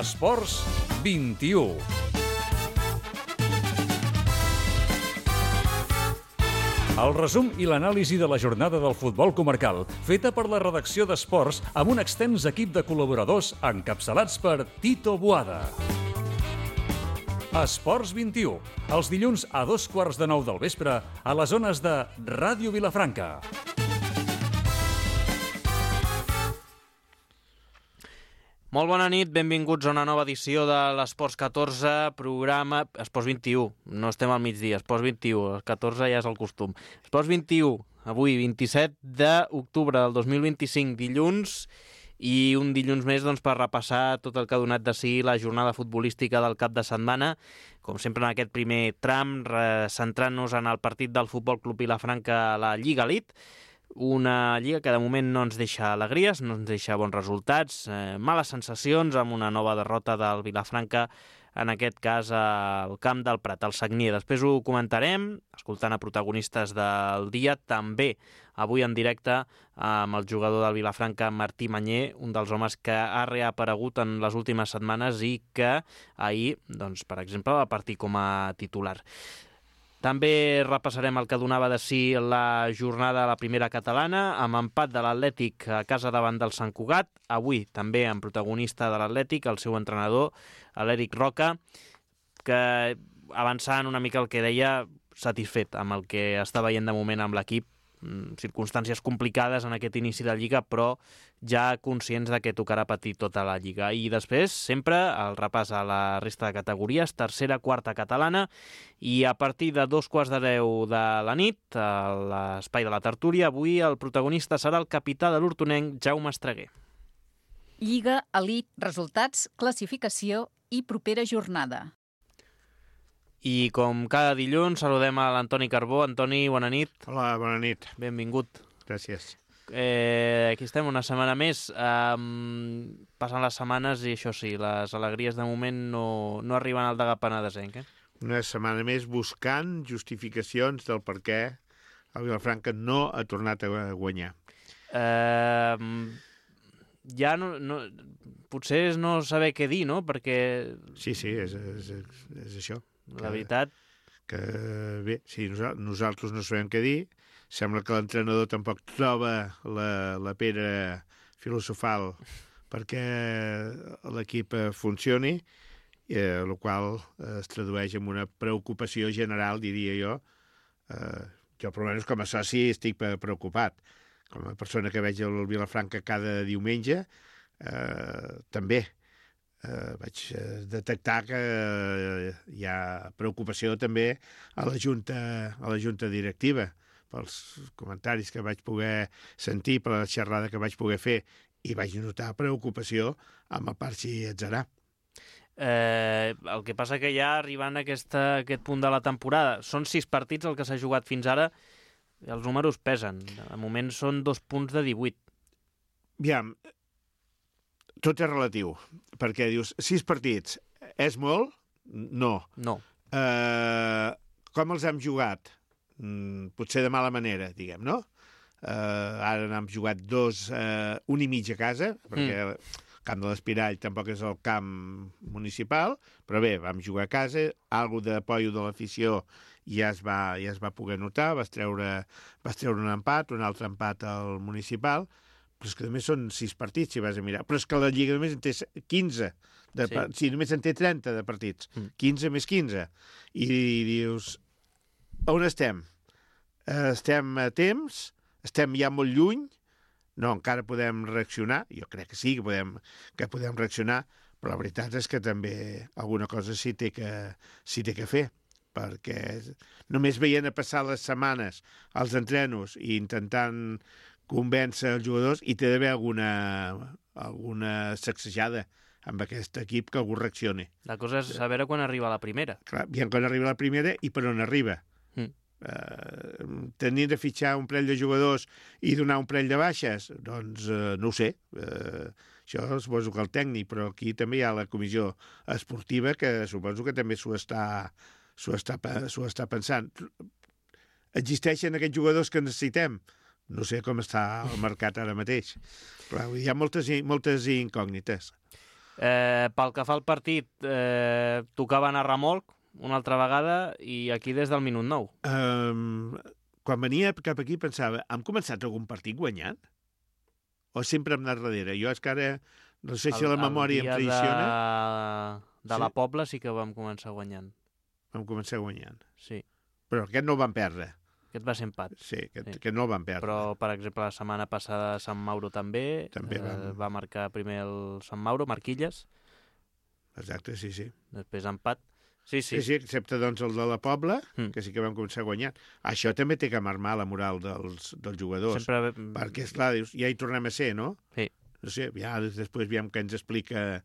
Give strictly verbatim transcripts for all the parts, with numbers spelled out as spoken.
Esports vint-i-u. El resum i l'anàlisi de la jornada del futbol comarcal, feta per la redacció d'Esports amb un extens equip de col·laboradors encapçalats per Tito Boada. Esports vint-i-u, els dilluns a dos quarts de nou del vespre a les zones de Ràdio Vilafranca. Molt bona nit, benvinguts a una nova edició de l'Esports catorze, programa Esports vint-i-u. No estem al migdia, Esports vint-i-u, el catorze ja és el costum. Esports vint-i-u, avui vint-i-set d'octubre del dos mil vint-i-cinc, dilluns, i un dilluns més doncs, per repassar tot el que ha donat de si la jornada futbolística del cap de setmana. Com sempre en aquest primer tram, centrant-nos en el partit del Futbol Club Vilafranca a la Lliga Elite. Una lliga que de moment no ens deixa alegries, no ens deixa bons resultats, eh, males sensacions amb una nova derrota del Vilafranca, en aquest cas al camp del Prat, al Sagnier. Després ho comentarem, escoltant a protagonistes del dia, també avui en directe amb el jugador del Vilafranca, Martí Mañé, un dels homes que ha reaparegut en les últimes setmanes i que ahir, doncs, per exemple, va partir com a titular. També repassarem el que donava de si la jornada a la primera catalana, amb empat de l'Atlètic a casa davant del Sant Cugat. Avui també amb protagonista de l'Atlètic, el seu entrenador, l'Eric Roca, que avançant una mica el que deia, satisfet amb el que està veient de moment amb l'equip. Circumstàncies complicades en aquest inici de Lliga, però ja conscients de que tocarà patir tota la Lliga. I després, sempre, el repàs a la resta de categories, tercera, quarta catalana, i a partir de dos quarts de deu de la nit, a l'espai de la tertúlia, avui el protagonista serà el capità de l'hortonenc, Jaume Estreguer. Lliga Elite, resultats, classificació i propera jornada. I com cada dilluns saludem a l'Antoni Carbó. Antoni, bona nit. Hola, bona nit. Benvingut. Gràcies. Eh, aquí estem una setmana més. Um, passen les setmanes i això sí, les alegries de moment no, no arriben al Degà Penedesenc. Eh? Una setmana més buscant justificacions del per què el Vilafranca no ha tornat a guanyar. Eh, ja no, no... Potser és no saber què dir, no? Perquè... Sí, sí, és, és, és això. La veritat... Que, bé, sí, nosaltres no sabem què dir. Sembla que l'entrenador tampoc troba la, la pedra filosofal perquè l'equip funcioni, eh, el qual es tradueix en una preocupació general, diria jo. Eh, jo, per almenys, com a soci, estic preocupat. Com a persona que veig el Vilafranca cada diumenge, eh, també. Uh, vaig uh, detectar que uh, hi ha preocupació també a la junta, a la junta directiva pels comentaris que vaig poder sentir, per la xerrada que vaig poder fer, i vaig notar preocupació amb el Parxi Atzarà. Eh, el que passa que ja arribant a aquesta, aquest punt de la temporada, són sis partits el que s'ha jugat fins ara, i els números pesen. De moment són dos punts de divuit. Aviam, tot és relatiu, perquè dius, sis partits, és molt? No. No. Uh, com els hem jugat? Mm, potser de mala manera, diguem, no? Uh, ara n'hem jugat dos, uh, un i mig a casa, perquè mm. el camp de l'Espirall tampoc és el camp municipal, però bé, vam jugar a casa, algo de pollo de l'afició ja es va, ja es va poder notar, vas treure, vas treure un empat, un altre empat al municipal, però és que només són sis partits, si vas a mirar. Però és que la Lliga només en té quinze. De sí. sí, només en té trenta de partits. Mm. quinze més quinze. I dius, on estem? Estem a temps? Estem ja molt lluny? No, encara podem reaccionar. Jo crec que sí, que podem, que podem reaccionar, però la veritat és que també alguna cosa s'hi té que, s'hi té que fer, perquè només veient a passar les setmanes als entrenos i intentant convèncer els jugadors, i té d'haver alguna, alguna sacsejada amb aquest equip que algú reaccioni. La cosa és saber quan arriba la primera. Clar, i quan arriba la primera i per on arriba. Mm. Uh, tenir de fitxar un parell de jugadors i donar un parell de baixes, doncs uh, no ho sé. Uh, això suposo que el tècnic, però aquí també hi ha la comissió esportiva que suposo que també s'ho està, s'ho està, s'ho està pensant. Existeixen aquests jugadors que necessitem? No sé com està el mercat ara mateix. Clar, hi ha moltes, moltes incògnites. Eh, pel que fa al partit, eh, tocava anar a remolc una altra vegada i aquí des del minut nou. Um, quan venia cap aquí pensava, hem començat algun partit guanyant? O sempre hem anat darrere? Jo és que ara, no sé si El- la memòria em el dia traiciona, de, de Sí. la Pobla sí que vam començar guanyant. vam començar guanyant. Sí, Però aquest no el van perdre. aquest va ser empat. Sí, aquest, Sí. aquest no el van perdre. Però, per exemple, la setmana passada Sant Mauro també, També eh, vam- va marcar primer el Sant Mauro, Marquilles, Exacte, sí, sí. després empat. Sí, sí. Sí, sí, excepte doncs el de la Pobla, Mm. que sí que vam començar guanyant. Això també té que marmar la moral dels, dels jugadors. Sempre... Perquè, esclar, dius, ja hi tornem a ser, no? Sí. No sé, ja després veiem què ens explica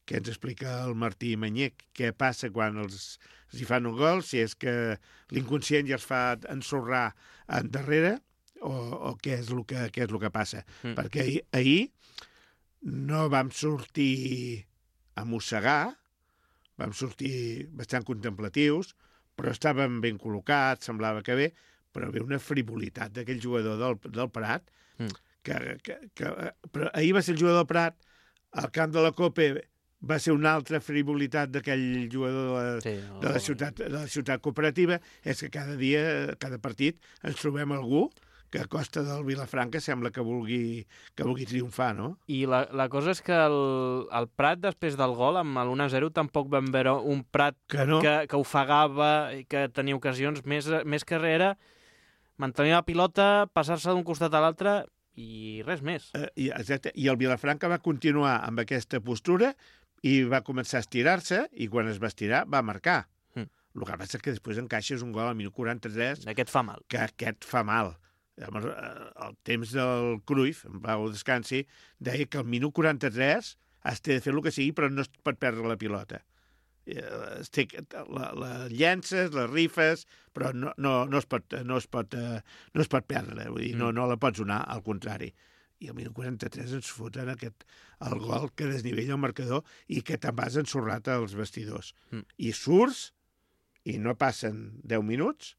què ens explica el Martí Manyec, què passa quan els, els hi fan un gol, si és que l'inconscient ja els fa ensorrar endarrere, o, o què és el que, què és el que passa. Mm. Perquè ahir, ahir no vam sortir a mossegar, vam sortir bastant contemplatius, però estàvem ben col·locats, semblava que bé, però ve una frivolitat d'aquell jugador del, del Prat, Mm. que, que, que, però ahir va ser el jugador del Prat, al camp de la Copa va ser una altra frivolitat d'aquell jugador de la, Sí, de la, ciutat, de la ciutat cooperativa, és que cada dia, cada partit, ens trobem algú que a costa del Vilafranca sembla que vulgui, que vulgui triomfar, no? I la, la cosa és que el, el Prat, després del gol, amb l'u a zero, tampoc vam veure un Prat Que no? que, que ofegava i que tenia ocasions més, més que era mantenir la pilota, passar-se d'un costat a l'altre i res més. Eh, i, exacte, i el Vilafranca va continuar amb aquesta postura i va començar a estirar-se, i quan es va estirar va marcar. Mm. El que passa és que després encaixes un gol al minut quaranta-tres Aquest fa mal. que aquest fa mal. Llavors, eh, el temps del Cruyff, en Pau Descansi, deia que al minut quaranta-tres has de fer el que sigui, però no es pot perdre la pilota. Eh, es té, la, la llences, les rifes, però no, no, no, es pot, no, es pot, eh, no es pot perdre, vull dir, no, no la pots donar, al contrari. I al minut quaranta-tres ens foten aquest, el gol que desnivella el marcador i que te'n vas ensorrat als vestidors. Mm. I surts i no passen deu minuts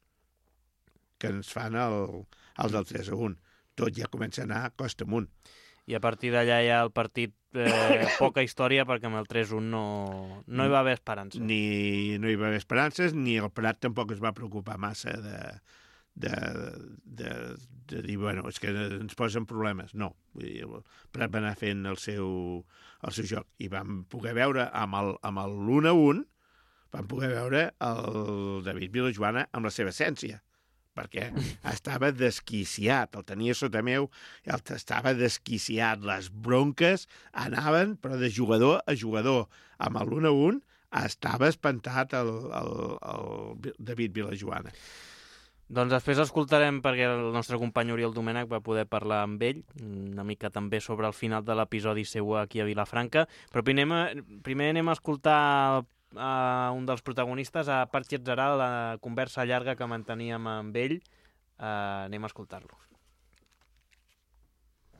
que ens fan el, el del tres a un. Tot ja comença a anar costa amunt. I a partir d'allà ja el partit, eh, poca història, perquè amb el tres a un no, no hi va haver esperança. Ni no hi va haver esperances, ni el Prat tampoc es va preocupar massa de, de, de, de dir, bueno, és que ens posen problemes. No, vull dir, el Prat va anar fent el seu, el seu joc. I vam poder veure amb el, amb el l'u a un, vam poder veure el David Vilajoana amb la seva essència, perquè estava desquiciat, el tenia sota meu, el estava desquiciat, les bronques anaven, però de jugador a jugador. Amb l'u a un estava espantat el, el, el David Vilajoana. Doncs després escoltarem, perquè el nostre company Oriol Domènech va poder parlar amb ell, una mica també sobre el final de l'episodi seu aquí a Vilafranca, però primer, primer anem a escoltar a un dels protagonistes, a Patxi Atzaral, la conversa llarga que manteníem amb ell. Uh, anem a escoltar-lo.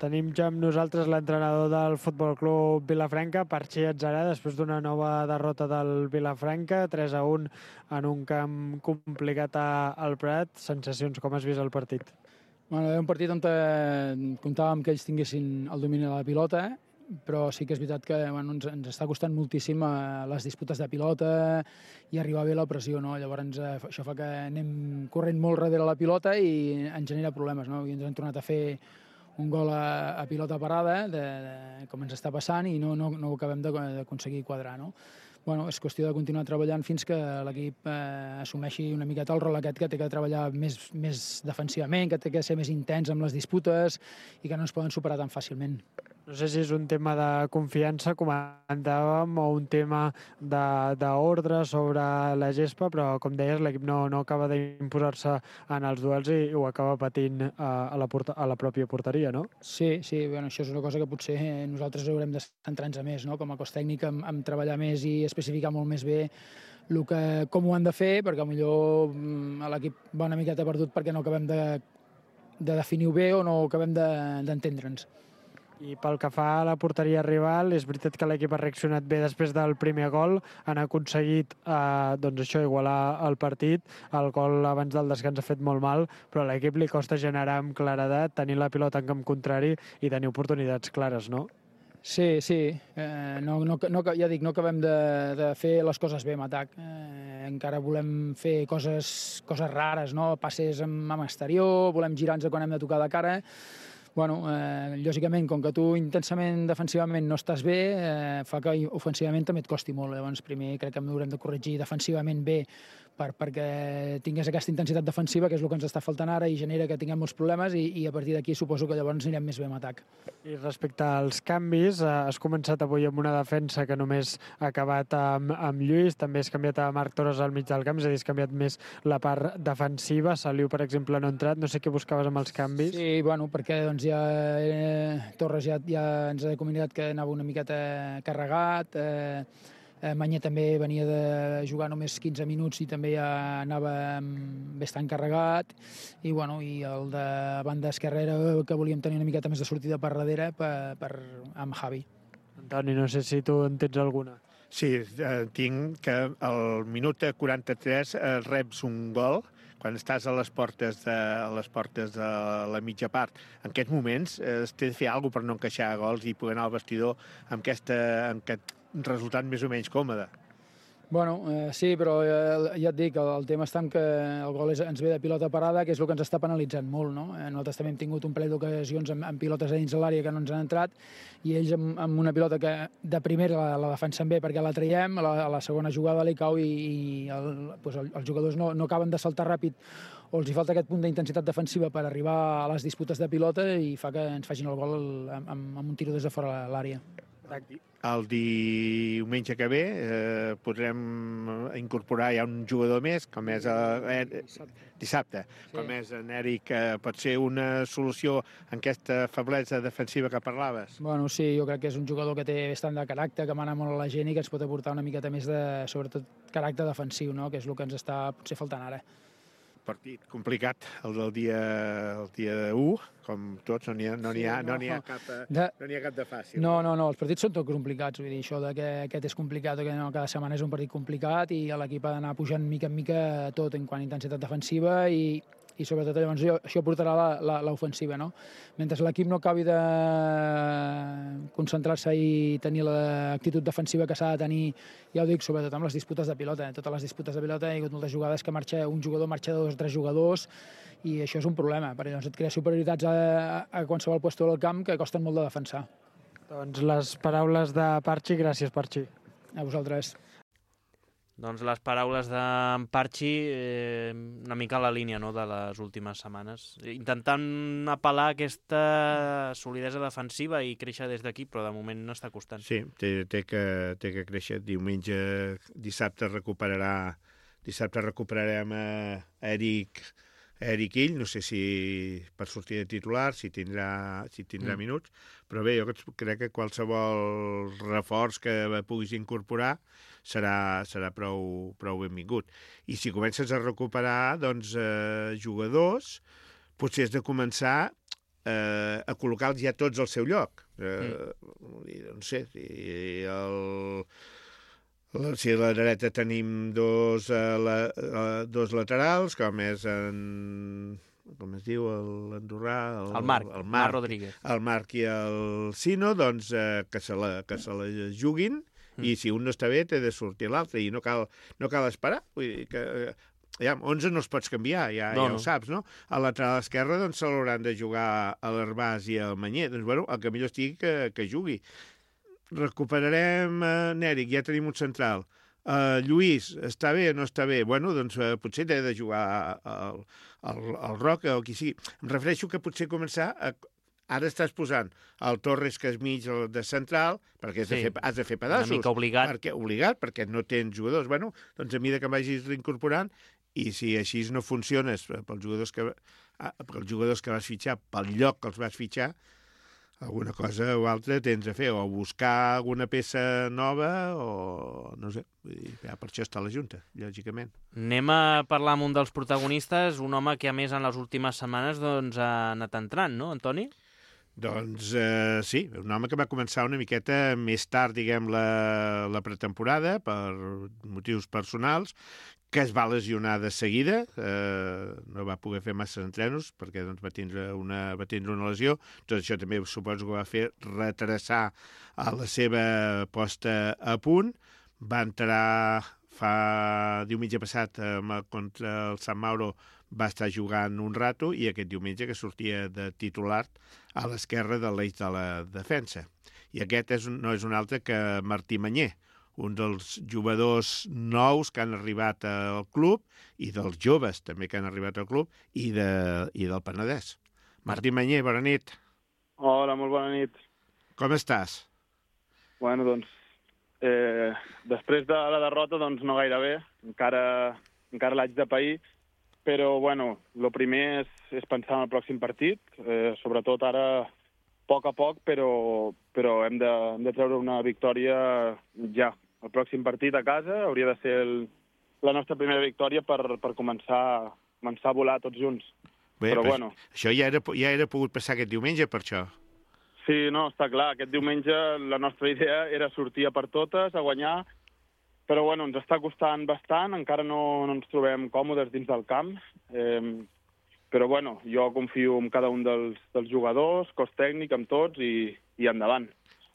Tenim ja amb nosaltres l'entrenador del Futbol Club Vilafranca, Patxi Atzaral, després d'una nova derrota del Vilafranca, tres a un en un camp complicat al Prat. Sensacions, com has vist el partit? Bueno, era un partit on comptàvem que ells tinguessin el domini de la pilota, però sí que és veritat que bueno, ens, ens està costant moltíssim eh, les disputes de pilota i arribar bé la pressió, no? Llavors eh, això fa que anem corrent molt darrere la pilota i ens genera problemes, no? I ens han tornat a fer un gol a, a pilota parada, de, de, com ens està passant, i no, no, no ho acabem d'aconseguir quadrar, no? Bueno, és qüestió de continuar treballant fins que l'equip eh, assumeixi una miqueta el rol aquest, que té que treballar més, més defensivament, que té que ser més intens amb les disputes i que no ens poden superar tan fàcilment. No sé si és un tema de confiança, comentàvem, o un tema d'ordre sobre la gespa, però, com deies, l'equip no, no acaba d'imposar-se en els duels i ho acaba patint a, a, la, porta, a la pròpia porteria, no? Sí, sí, bueno, això és una cosa que potser nosaltres haurem de centrar-nos més, no? Com a cos tècnic, en, en treballar més i especificar molt més bé el que, com ho han de fer, perquè potser l'equip va una miqueta perdut perquè no acabem de, de definir-ho bé o no acabem d'entendre'ns. De, I pel que fa a la porteria rival, és veritat que l'equip ha reaccionat bé després del primer gol, han aconseguit eh, doncs això, igualar el partit, el gol abans del descans ha fet molt mal, però a l'equip li costa generar amb claredat, tenir la pilota en camp contrari i tenir oportunitats clares, no? Sí, sí. Eh, no, no, no, ja dic, no acabem de, de fer les coses bé amb atac. Eh, encara volem fer coses, coses rares, no? Passes amb, amb exterior, volem girar-nos quan hem de tocar de cara. Bueno, eh, lògicament, com que tu intensament defensivament no estàs bé, eh, fa que ofensivament també et costi molt. Llavors, primer crec que hem haurem de corregir defensivament bé per, perquè tingués aquesta intensitat defensiva, que és el que ens està faltant ara i genera que tinguem molts problemes i, i a partir d'aquí suposo que llavors anirem més bé amb atac. I respecte als canvis, eh, has començat avui amb una defensa que només ha acabat amb, amb Lluís, també has canviat a Marc Torres al mig del camp, és a dir, has canviat més la part defensiva. Saliu, per exemple, no ha entrat, no sé què buscaves amb els canvis. Sí, bueno, perquè doncs, ja eh, Torres ja, ja ens ha comunicat que anava una miqueta carregat, eh, eh, Mañé també venia de jugar només quinze minuts i també ja anava bastant carregat, i, bueno, i el de banda esquerrera que volíem tenir una miqueta més de sortida per darrere per, per, amb Javi. Antoni, no sé si tu en tens alguna. Sí, eh, tinc que al minut quaranta-tres eh, reps un gol quan estàs a les portes de, a les portes de la mitja part. En aquests moments eh, es té de fer alguna cosa per no encaixar gols i poder anar al vestidor amb, aquesta, amb aquest resultat més o menys còmode. Bueno, eh, sí, però eh, ja et dic, el, el tema està en que el gol és, ens ve de pilota parada, que és el que ens està penalitzant molt, no? Eh, nosaltres també hem tingut un parell d'ocasions amb, amb pilotes a dins de l'àrea que no ens han entrat, i ells amb, amb una pilota que de primera la, la defensen bé perquè la traiem, a la, a la segona jugada li cau i, i el, pues el, els jugadors no, no acaben de saltar ràpid, o els hi falta aquest punt d'intensitat defensiva per arribar a les disputes de pilota i fa que ens facin el gol amb, amb, amb un tiro des de fora de l'àrea. El diumenge que ve eh, podrem incorporar ja un jugador més, com és el, eh, dissabte, sí. Com és en Eric, que pot ser una solució en aquesta feblesa defensiva que parlaves. Bueno, sí, jo crec que és un jugador que té bastant de caràcter, que mana molt a la gent i que ens pot aportar una miqueta més de, sobretot, caràcter defensiu, no? Que és el que ens està potser faltant ara. Partit complicat, el del dia, el dia u, com tots, no n'hi ha, no n'hi ha, Sí, no no. n'hi ha, cap, De... no n'hi ha cap de fàcil. No, no, no, els partits són tots complicats, vull dir, això de que aquest és complicat o que no, cada setmana és un partit complicat i l'equip ha d'anar pujant mica en mica tot en quant a intensitat defensiva i, i sobretot llavors això, això portarà la, la, l'ofensiva, no? Mentre l'equip no acabi de concentrar-se i tenir l'actitud defensiva que s'ha de tenir, ja ho dic, sobretot amb les disputes de pilota, eh? Totes les disputes de pilota hi ha hagut moltes jugades que marxa un jugador, marxa dos o tres jugadors, i això és un problema, perquè doncs et crea superioritats a, a qualsevol puesto del camp que costen molt de defensar. Doncs les paraules de Parchi, gràcies Parchi. A vosaltres. Doncs les paraules d'en Parchi, eh, una mica a la línia, no?, de les últimes setmanes. Intentant apel·lar aquesta solidesa defensiva i créixer des d'aquí, però de moment no està costant. Sí, té, té, que, té que créixer. Diumenge, dissabte recuperarà, dissabte recuperarem a Eric, Eric Ill, no sé si per sortir de titular, si tindrà, si tindrà mm. minuts, però bé, jo crec que qualsevol reforç que puguis incorporar serà, serà prou, prou benvingut. I si comences a recuperar doncs, eh, jugadors, potser has de començar eh, a col·locar-los ja tots al seu lloc. Eh, mm. No sé, si el... Si a la dreta tenim dos, uh, la, uh, dos laterals, com és en... com es diu, l'Andorrà... El, el Marc, el Marc, Marc Rodríguez. El Marc i el Sino, doncs uh, que, se la, que se la juguin, mm. i si un no està bé, té de sortir l'altre, i no cal, no cal esperar. Vull dir que... Ja, onze no els pots canviar, ja, no, ja ho no. saps, no? A la lateral esquerra doncs, se l'hauran de jugar a l'Herbàs i al Mañé. Doncs, bueno, el que millor estigui que, que jugui. Recuperarem uh, Nèric, ja tenim un central. Uh, Lluís, està bé o no està bé? Bueno, doncs uh, potser té de jugar al, al, al Roca o qui sigui. Em refereixo que potser començar a... Ara estàs posant el Torres, que és mig de central, perquè has, sí. de, fer, has de fer pedaços. Una mica obligat. Perquè, obligat, perquè no tens jugadors. Bueno, doncs a mida que vagis reincorporant, i si així no funciones pels jugadors que, pels jugadors que vas fitxar, pel lloc que els vas fitxar, alguna cosa o altra tens a fer, o buscar alguna peça nova, o no sé, ja per això està la Junta, lògicament. Anem a parlar amb un dels protagonistes, un home que a més en les últimes setmanes doncs, ha anat entrant, no, Antoni? Doncs eh, sí, un home que va començar una miqueta més tard, diguem, la, la pretemporada, per motius personals, que es va lesionar de seguida, eh, no va poder fer massa entrenos perquè doncs, va, tindre una, va tindre una lesió. Tot això també suposo que va fer retrasar a la seva posta a punt. Va entrar fa diumenge passat eh, contra el Sant Mauro, va estar jugant un rato i aquest diumenge que sortia de titular a l'esquerra de l'eix de la defensa. I aquest és, no és un altre que Martí Manyer, un dels jugadors nous que han arribat al club i dels joves també que han arribat al club i, de, i del Penedès. Martí Manyer, bona nit. Hola, molt bona nit. Com estàs? Bueno, doncs, eh, després de la derrota, doncs no gaire bé. Encara, encara l'haig de pair, però, bueno, el primer és, és pensar en el pròxim partit, eh, sobretot ara a poc a poc, però, però hem, de, hem de treure una victòria ja. El pròxim partit a casa hauria de ser el, la nostra primera victòria per, per començar, començar a volar tots junts. Bé, però, però bueno. Això ja era, ja era pogut passar aquest diumenge, per això. Sí, no, està clar. Aquest diumenge la nostra idea era sortir a per totes, a guanyar, però bueno, ens està costant bastant, encara no, no ens trobem còmodes dins del camp, eh, però bueno, jo confio en cada un dels, dels jugadors, cos tècnic, amb tots i, i endavant.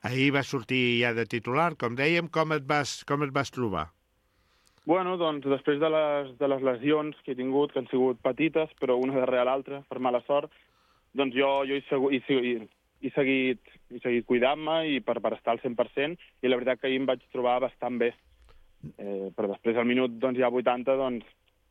Ahir va sortir ja de titular, com dèiem, com et vas, com et vas trobar? Bueno, doncs després de les, de les lesions que he tingut, que han sigut petites, però una darrere l'altra, per mala sort, doncs jo, jo he, segu, he, he, he seguit, he seguit cuidant-me i per, per estar al cent per cent, i la veritat que ahir em vaig trobar bastant bé. Eh, però després al minut doncs, ja vuitanta, doncs,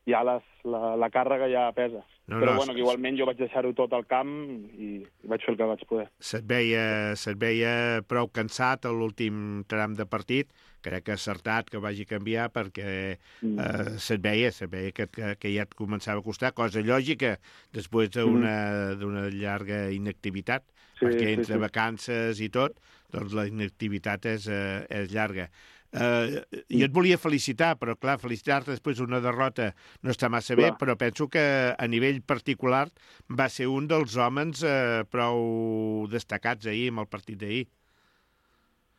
ja les, la, la càrrega ja pesa. No, però no, bueno, que igualment jo vaig deixar-ho tot al camp i, i vaig fer el que vaig poder. Se't veia, se't veia prou cansat a l'últim tram de partit, crec que acertat que vagi a canviar perquè mm. eh, se't veia, se't veia que, que, que ja et començava a costar, cosa lògica després d'una mm. d'una llarga inactivitat, sí, perquè entre sí, sí. vacances i tot, doncs la inactivitat és, eh, és llarga. Uh, jo et volia felicitar, però clar, felicitar-te després d'una derrota no està massa clar. Bé, però penso que a nivell particular va ser un dels homes uh, prou destacats ahir amb el partit d'ahir.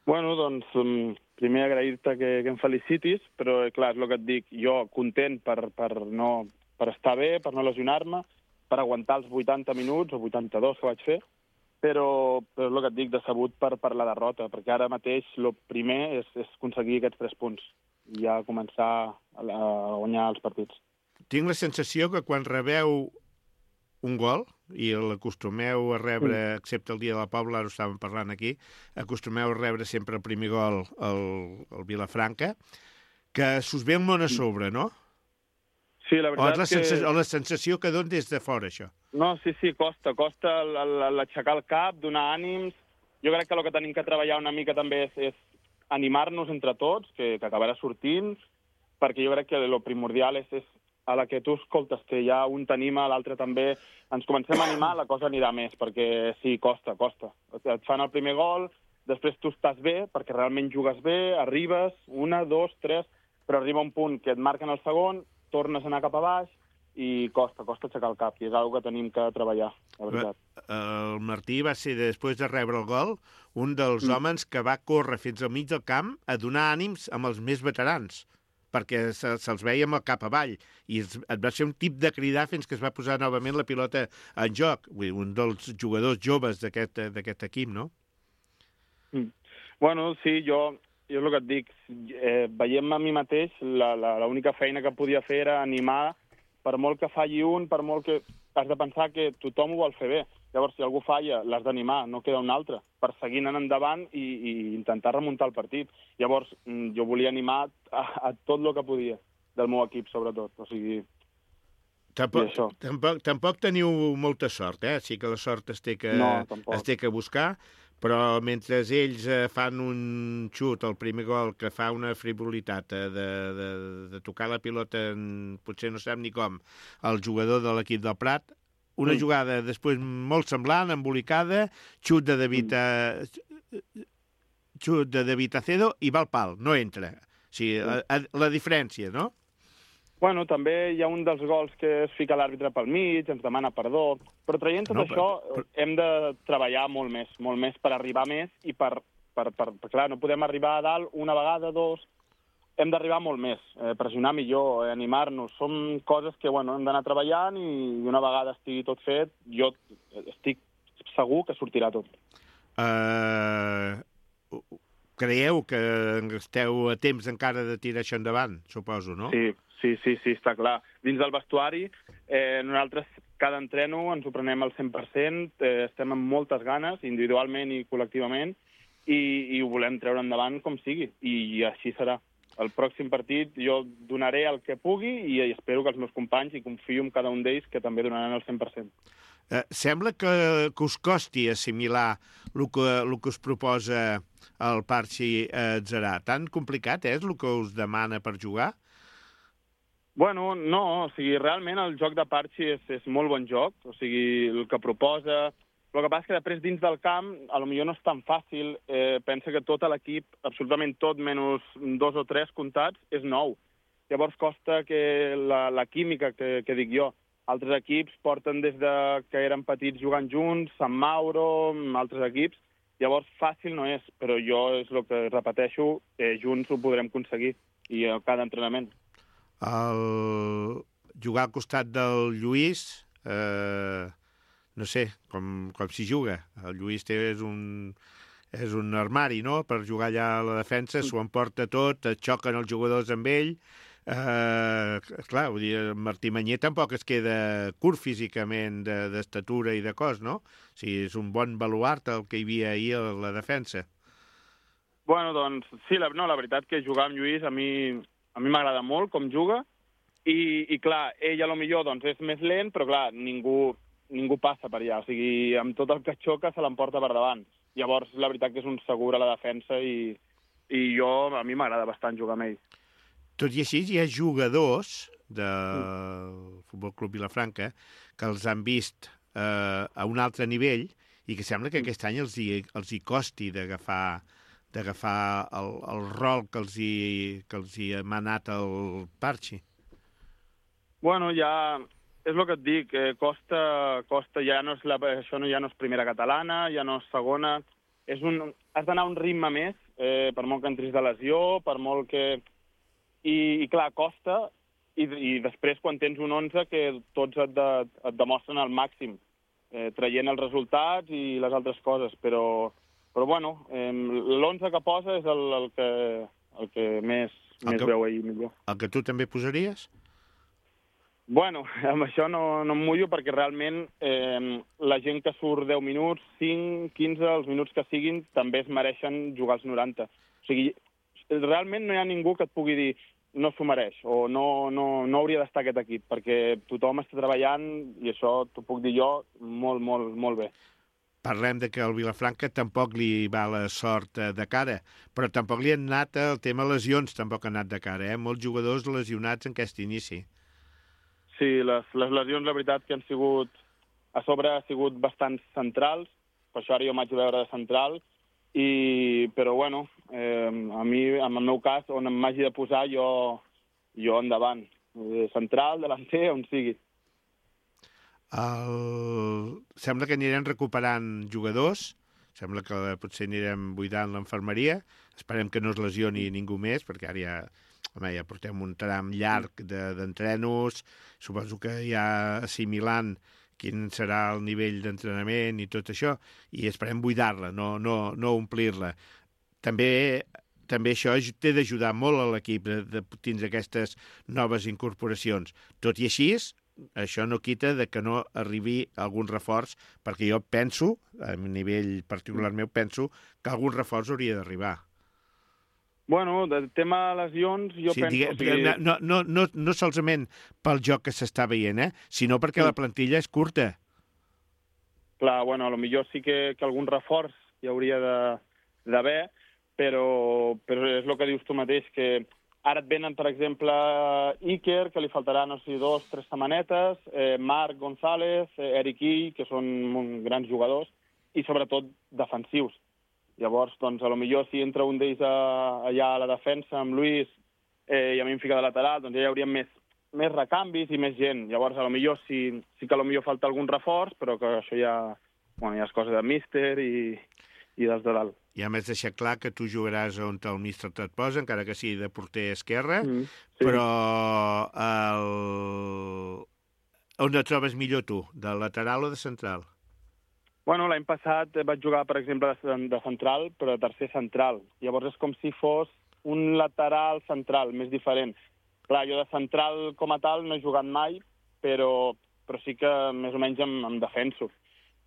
Bueno, doncs, um, primer agrair-te que, que em felicitis, però clar, és el que et dic, jo content per, per, no, per estar bé, per no lesionar-me, per aguantar els vuitanta minuts o vuitanta-dos que vaig fer, però, però és el que et dic, decebut per, per la derrota, perquè ara mateix el primer és, és aconseguir aquests tres punts i ja començar a, a guanyar els partits. Tinc la sensació que quan rebeu un gol, i l'acostumeu a rebre, mm. excepte el dia de la Pobla, ara ho estàvem parlant aquí, acostumeu a rebre sempre el primer gol al, al Vilafranca, que s'us ve un món a sobre, no? Sí, la veritat o la que... sensació, o la sensació que don des de fora, això. No, sí, sí, costa, costa l'aixecar el cap, donar ànims. Jo crec que el que tenim que treballar una mica també és, és animar-nos entre tots, que, que acabarà sortint, perquè jo crec que el primordial és, és a la que tu escoltes que ja un t'anima, l'altre també, ens comencem a animar, la cosa anirà més, perquè sí, costa, costa. Et fan el primer gol, després tu estàs bé, perquè realment jugues bé, arribes, una, dos, tres, però arriba un punt que et marquen el segon, tornes a anar cap a baix i costa, costa aixecar el cap, i és una cosa que tenim que treballar, la veritat. El Martí va ser, després de rebre el gol, un dels mm. homes que va córrer fins al mig del camp a donar ànims amb els més veterans, perquè se'ls se veia amb el cap avall, i et va ser un tip de cridar fins que es va posar novament la pilota en joc. Vull dir, un dels jugadors joves d'aquest equip, no? Mm. Bueno, sí, jo... Jo és el que et dic, eh, veiem a mi mateix, l'única feina que podia fer era animar, per molt que falli un, per molt que... Has de pensar que tothom ho vol fer bé. Llavors, si algú falla, l'has d'animar, no queda un altre, per seguir anant endavant i, i intentar remuntar el partit. Llavors, jo volia animar a, a tot el que podia, del meu equip, sobretot. O sigui... Tampoc, tampoc, tampoc teniu molta sort, eh? Sí que la sort es té que, no, es té que buscar, però mentre ells eh, fan un xut, el primer gol, que fa una frivolitat eh, de, de, de tocar la pilota, en, potser no sap ni com, el jugador de l'equip del Prat, una mm. jugada després molt semblant, embolicada, xut de David, eh, xut de David Acedo i va al pal, no entra. O sigui, la, la diferència, no? Bueno, també hi ha un dels gols que es fica l'àrbitre pel mig, ens demana perdó, però traient tot no, això però, però... hem de treballar molt més, molt més per arribar més i per, per, per, per, clar, no podem arribar a dalt una vegada, dos, hem d'arribar molt més, eh, pressionar millor, eh, animar-nos. Són coses que, bueno, hem d'anar treballant i una vegada estigui tot fet, jo estic segur que sortirà tot. Uh, creieu que esteu a temps encara de tirar això endavant, suposo, no? Sí, sí, sí, sí, està clar. Dins del vestuari, eh, nosaltres cada entreno ens ho prenem al cent per cent, eh, estem amb moltes ganes, individualment i col·lectivament, i, i ho volem treure endavant com sigui, i, i així serà. El pròxim partit jo donaré el que pugui i espero que els meus companys, i confio en cada un d'ells, que també donaran el cent per cent. Eh, sembla que, que us costi assimilar el que, el que us proposa el Parchi Atzarà. Tan complicat és el que us demana per jugar? Bueno, no, o sigui, realment el joc de Parchi és, és molt bon joc, o sigui, el que proposa. El que passa és que després dins del camp potser no és tan fàcil, eh, pensa que tot l'equip, absolutament tot, menys dos o tres comptats, és nou. Llavors costa que la, la química que, que dic jo. Altres equips porten des de que eren petits jugant junts, Sant Mauro, altres equips. Llavors fàcil no és, però jo és el que repeteixo, eh, junts ho podrem aconseguir, i a cada entrenament. El... Jugar al costat del Lluís... Eh... no sé, com, com s'hi juga. El Lluís té, és, un, és un armari, no?, per jugar allà a la defensa, s'ho emporta tot, et xoquen els jugadors amb ell. Eh, clar, vull dir, Martí Manyer tampoc es queda curt físicament d'estatura de, i de cos, no? O sigui, és un bon baluart el que hi havia ahir a la defensa. Bueno, doncs, sí, la, no, la veritat que jugar amb Lluís a mi a mi m'agrada molt com juga, i, i clar, ell a lo millor doncs, és més lent, però clar, ningú... ningú passa per allà, o sigui, amb tot el que xoca se l'emporta per davant. Llavors, la veritat que és un segur a la defensa i, i jo, a mi m'agrada bastant jugar amb ell. Tot i així, hi ha jugadors del Futbol Club Vilafranca que els han vist eh, a un altre nivell i que sembla que aquest any els hi, els hi costi d'agafar d'agafar el, el rol que els hi, que els hi ha manat el Parchi. Bueno, ja... És el que et dic, eh, costa, costa, ja no és la, això no, ja no és primera catalana, ja no és segona, és un, has d'anar a un ritme més, eh, per molt que entris de lesió, per molt que... I, i clar, costa, i, i després quan tens un onze que tots et, de, et demostren al màxim, eh, traient els resultats i les altres coses, però, però bueno, eh, l'onze que posa és el, el, que, el que més, el més que, veu ahir millor. El que tu també posaries? Bueno, amb això no, no em mullo perquè realment eh, la gent que surt deu minuts, cinc, quinze, els minuts que siguin, també es mereixen jugar als noranta. O sigui, realment no hi ha ningú que et pugui dir no s'ho mereix o no, no, no hauria d'estar aquest equip, perquè tothom està treballant i això t'ho puc dir jo molt, molt, molt bé. Parlem de que el Vilafranca tampoc li va la sort de cara, però tampoc li han anat el tema lesions, tampoc ha anat de cara, eh? Molts jugadors lesionats en aquest inici. Sí, les, les lesions, la veritat, que han sigut... A sobre ha sigut bastant centrals, per això ara jo m'haig de veure de central, i, però bueno, eh, a mi, en el meu cas, on em m'hagi de posar, jo, jo endavant. Central, delanter, on sigui. El... Sembla que anirem recuperant jugadors, sembla que potser anirem buidant l'infermeria, esperem que no es lesioni ningú més, perquè ara ja... Home, ja portem un tram llarg d'entrenos, suposo que ja assimilant quin serà el nivell d'entrenament i tot això, i esperem buidar-la, no, no, no omplir-la. També, també això té d'ajudar molt a l'equip de, de tindre aquestes noves incorporacions. Tot i així, això no quita de que no arribi algun reforç, perquè jo penso, a nivell particular meu, penso que algun reforç hauria d'arribar. Bueno, del tema lesions, jo sí, penso... Digue, o sigui... no, no, no, no solament pel joc que s'està veient, eh? sinó perquè sí. La plantilla és curta. Clar, bueno, a lo millor sí que, que algun reforç hi hauria d'haver, però, però és el que dius tu mateix, que ara et venen, per exemple, Iker, que li faltarà, no sé, dos, tres setmanetes, eh, Marc González, eh, Eric I, que són grans jugadors, i sobretot defensius. Llavors, doncs, a lo millor si entra un d'ells allà a la defensa amb Luis eh, i a mi em fica de lateral, doncs ja hi hauria més, més recanvis i més gent. Llavors, a lo millor sí, sí que a lo millor falta algun reforç, però que això ja, bueno, ja és cosa de míster i, i dels de dalt. ja m'has deixat clar que tu jugaràs on el míster et posa, encara que sigui de porter esquerre, Mm, sí. Però el... on et trobes millor tu, de lateral o de central? Bueno, l'any passat vaig jugar, per exemple, de, de central, però de tercer central. Llavors és com si fos un lateral central, més diferent. Clar, jo de central com a tal no he jugat mai, però, però sí que més o menys em, em defenso.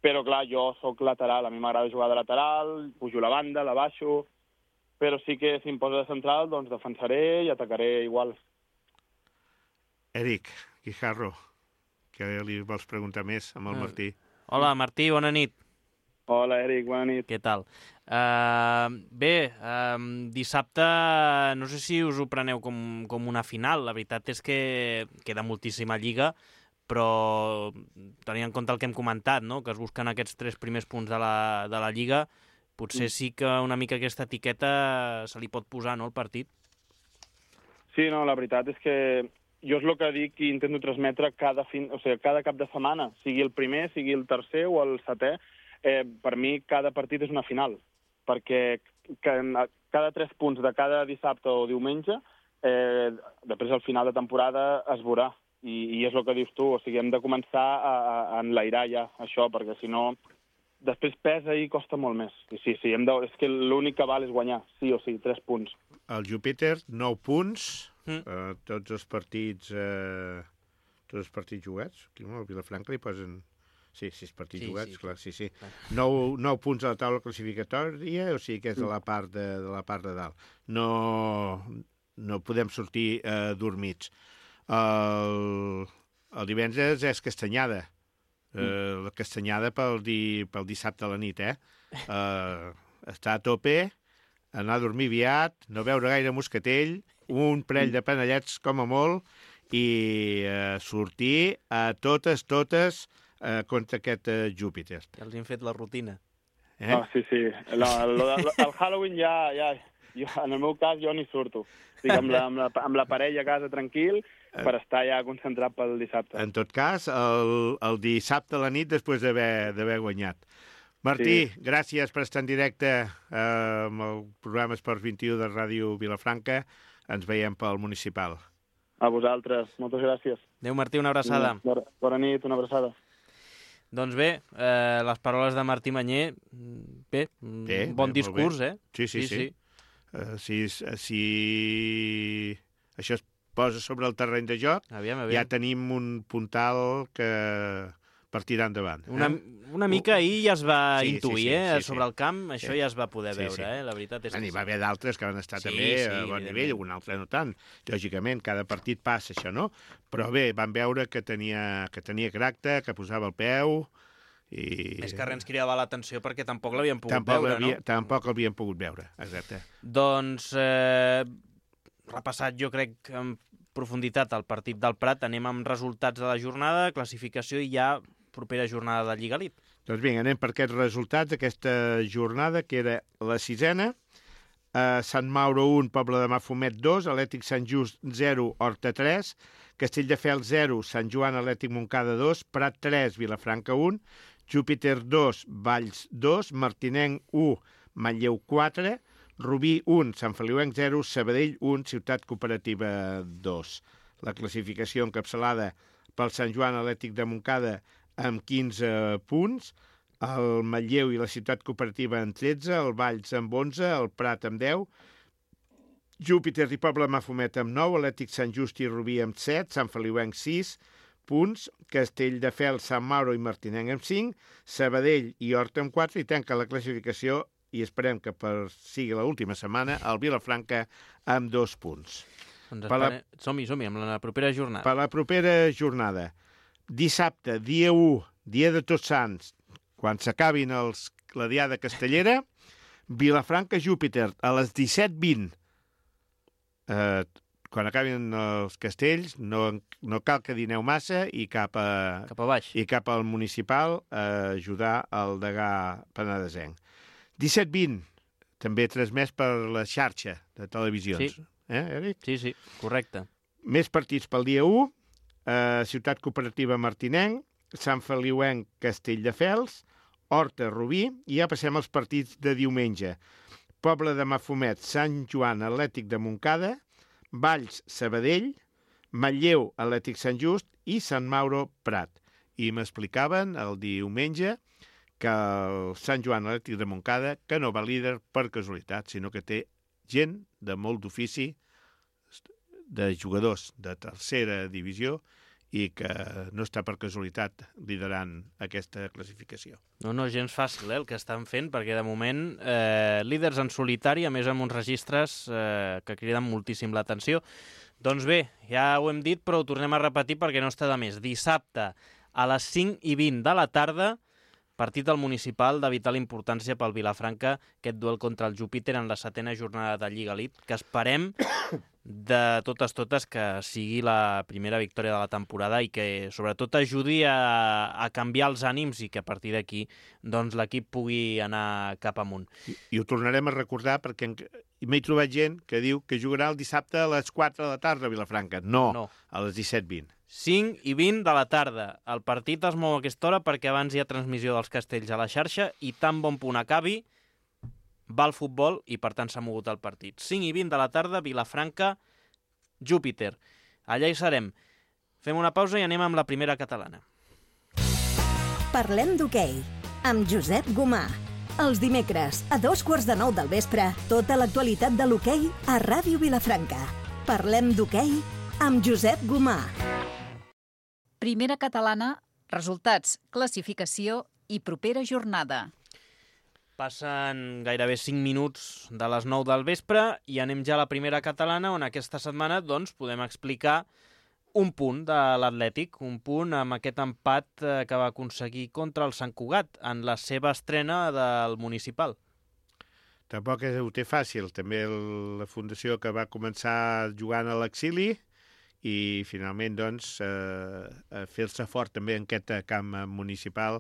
Però, clar, jo sóc lateral, a mi m'agrada jugar de lateral, pujo la banda, la baixo, però sí que si em posa de central, doncs defensaré i atacaré igual. Eric Guijarro, que li vols preguntar més amb el Martí? Hola, Martí, bona nit. Hola, Eric, bona nit. Què tal? Uh, bé, uh, dissabte no sé si us ho preneu com, com una final. La veritat és que queda moltíssima lliga, però tenint en compte el que hem comentat, no? Que es busquen aquests tres primers punts de la, de la Lliga, potser sí que una mica aquesta etiqueta se li pot posar, no, al partit? Sí, no, la veritat és que jo és el que dic i intento transmetre cada, fin, o sigui, cada cap de setmana, sigui el primer, sigui el tercer o el setè, eh, per mi cada partit és una final, perquè cada tres punts de cada dissabte o diumenge, eh, després al final de temporada es veurà. I, i és el que dius tu, o sigui, hem de començar a, a enlairar ja això, perquè si no, després pesa i costa molt més. I sí, sí, hem de, és que l'únic que val és guanyar, sí o sí, tres punts. El Júpiter, nou punts, mm. eh, tots els partits eh, tots els partits jugats. Aquí al Vilafranca li posen... Sí, sis partits sí, jugats, sí, clar, sí, sí. Nou, nou punts a la taula classificatòria, o sigui que és de la part de, de, la part de dalt. No, no podem sortir eh, dormits. El, el divendres és Castanyada. Uh, la Castanyada pel, di, pel dissabte a la nit, eh? Uh, està a tope, anar a dormir aviat, no veure gaire moscatell, un parell de panellets com a molt, i uh, sortir a totes, totes uh, contra aquest uh, Júpiter. Ja els hem fet la rutina. Eh? Ah, sí, sí. El, el, el, el Halloween ja, ja... Jo, en el meu cas, jo ni surto. Estic amb la, amb la, amb la parella a casa tranquil per estar ja concentrat pel dissabte. En tot cas, el, el dissabte a la nit després d'haver guanyat. Martí, sí. Gràcies per estar en directe eh, amb el programa Esports vint-i-u de Ràdio Vilafranca. Ens veiem pel municipal. A vosaltres. Moltes gràcies. Adéu, Martí, una abraçada. Bona, bona nit, una abraçada. Doncs bé, eh, les paraules de Martí Manyer, bé, bé bon bé, discurs, eh? Sí, sí, sí. sí. sí. Uh, si, si això es posa sobre el terreny de joc, aviam, aviam. ja tenim un puntal que per tirar endavant. Eh? Una, una mica ahir ja es va sí, intuir, sí, sí, eh? sí, Sobre sí. el camp, això sí. ja es va poder sí, veure, sí. eh? La veritat és que N'hi sí. va haver d'altres que van estar sí, també sí, a bon nivell, algun altre no tant. Lògicament, cada partit passa això, no? Però bé, van veure que tenia, que tenia caràcter, que posava el peu... I... Més que res ens cridava l'atenció perquè tampoc l'havíem pogut tampoc veure, havia, no? Tampoc l'havíem pogut veure, exacte. Doncs, eh, repassat jo crec en profunditat el partit del Prat, anem amb resultats de la jornada, classificació i ja propera jornada de Lliga Elite. Doncs vinga, anem per aquests resultats d'aquesta jornada, que era la sisena. Uh, Sant Mauro un, Poble de Mafumet dos, Atlètic Sant Just zero, Horta tres, Castelldefels zero, Sant Joan Atlètic Montcada dos, Prat tres, Vilafranca un, Júpiter dos, Valls dos, Martinenc u, Manlleu quatre, Rubí un, Sant Feliuenc zero, Sabadell un, Ciutat Cooperativa dos. La classificació encapçalada pel Sant Joan Atlètic de Montcada amb quinze punts, el Manlleu i la Ciutat Cooperativa amb tretze, el Valls amb onze, el Prat amb deu, Júpiter i Poble Mafumet amb nou, Atlètic Sant Just i Rubí amb set, Sant Feliuenc sis punts, Castelldefels, Sant Mauro i Martinenc amb cinc, Sabadell i Horta amb quatre, i tanca la classificació, i esperem que per sigui l'última setmana, el Vilafranca amb dos punts. Doncs la... som-hi, som-hi, amb la propera jornada. Per la propera jornada, dissabte, dia u, dia de Tots Sants, quan s'acabin els, la diada castellera, Vilafranca-Júpiter, a les disset vint. Eh, quan acabin els castells, no, no cal que dineu massa i cap, a, cap a baix. I cap al municipal a ajudar el degà penedesenc. disset vint, també transmès per la xarxa de televisions. Sí. Eh, Eric? Sí, sí, correcte. Més partits pel dia u, eh, Ciutat Cooperativa Martinenc, Sant Feliuenc Castelldefels, Horta, Rubí, i ja passem als partits de diumenge. Poble de Mafumet, Sant Joan, Atlètic de Montcada, Valls, Sabadell, Manlleu, Atlètic Sant Just i Sant Mauro, Prat. I m'explicaven el diumenge que el Sant Joan Atlètic de Montcada, que no va líder per casualitat, sinó que té gent de molt d'ofici, de jugadors de tercera divisió, i que no està per casualitat liderant aquesta classificació. No, no, gens fàcil, eh, el que estan fent, perquè de moment eh, líders en solitari, a més amb uns registres eh, que criden moltíssim l'atenció. Doncs bé, ja ho hem dit, però ho tornem a repetir perquè no està de més. Dissabte, a les cinc i vint de la tarda, partit del municipal de vital importància pel Vilafranca, aquest duel contra el Júpiter en la setena jornada de Lliga Elite, que esperem de totes totes que sigui la primera victòria de la temporada i que sobretot ajudi a, a canviar els ànims i que a partir d'aquí doncs, l'equip pugui anar cap amunt. I, I ho tornarem a recordar perquè m'he trobat gent que diu que jugarà el dissabte a les quatre de la tarda a Vilafranca. No, no. A les disset vint. cinc i vint de la tarda. El partit es mou a aquesta hora perquè abans hi ha transmissió dels castells a la xarxa i tan bon punt acabi va el futbol i per tant s'ha mogut el partit. cinc i vint de la tarda, Vilafranca, Júpiter. Allà hi serem. Fem una pausa i anem amb la primera catalana. Parlem d'hoquei, amb Josep Gomà. Els dimecres, a dos quarts de nou del vespre, tota l'actualitat de l'hoquei a Ràdio Vilafranca. Parlem d'hoquei amb Josep Gomà. Primera catalana, resultats, classificació i propera jornada. Passen gairebé cinc minuts de les nou del vespre i anem ja a la primera catalana, on aquesta setmana doncs, podem explicar un punt de l'Atlètic, un punt amb aquest empat que va aconseguir contra el Sant Cugat en la seva estrena del municipal. Tampoc ho té fàcil. També la fundació que va començar jugant a l'exili i finalment doncs, eh, fer-se fort també en aquest camp municipal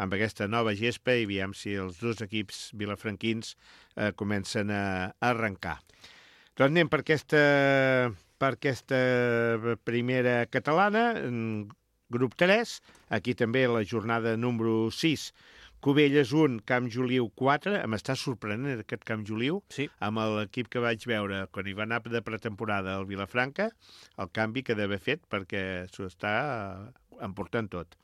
amb aquesta nova gespa i veiem si els dos equips vilafranquins eh, comencen a arrencar. Doncs anem per aquesta, per aquesta primera catalana, grup tres, aquí també la jornada número sis, Cubelles un, Camp Joliu quatre, em està sorprenent aquest Camp Joliu, sí. Amb l'equip que vaig veure quan hi va anar de pretemporada al Vilafranca, el canvi que d'haver fet perquè s'ho està emportant tot.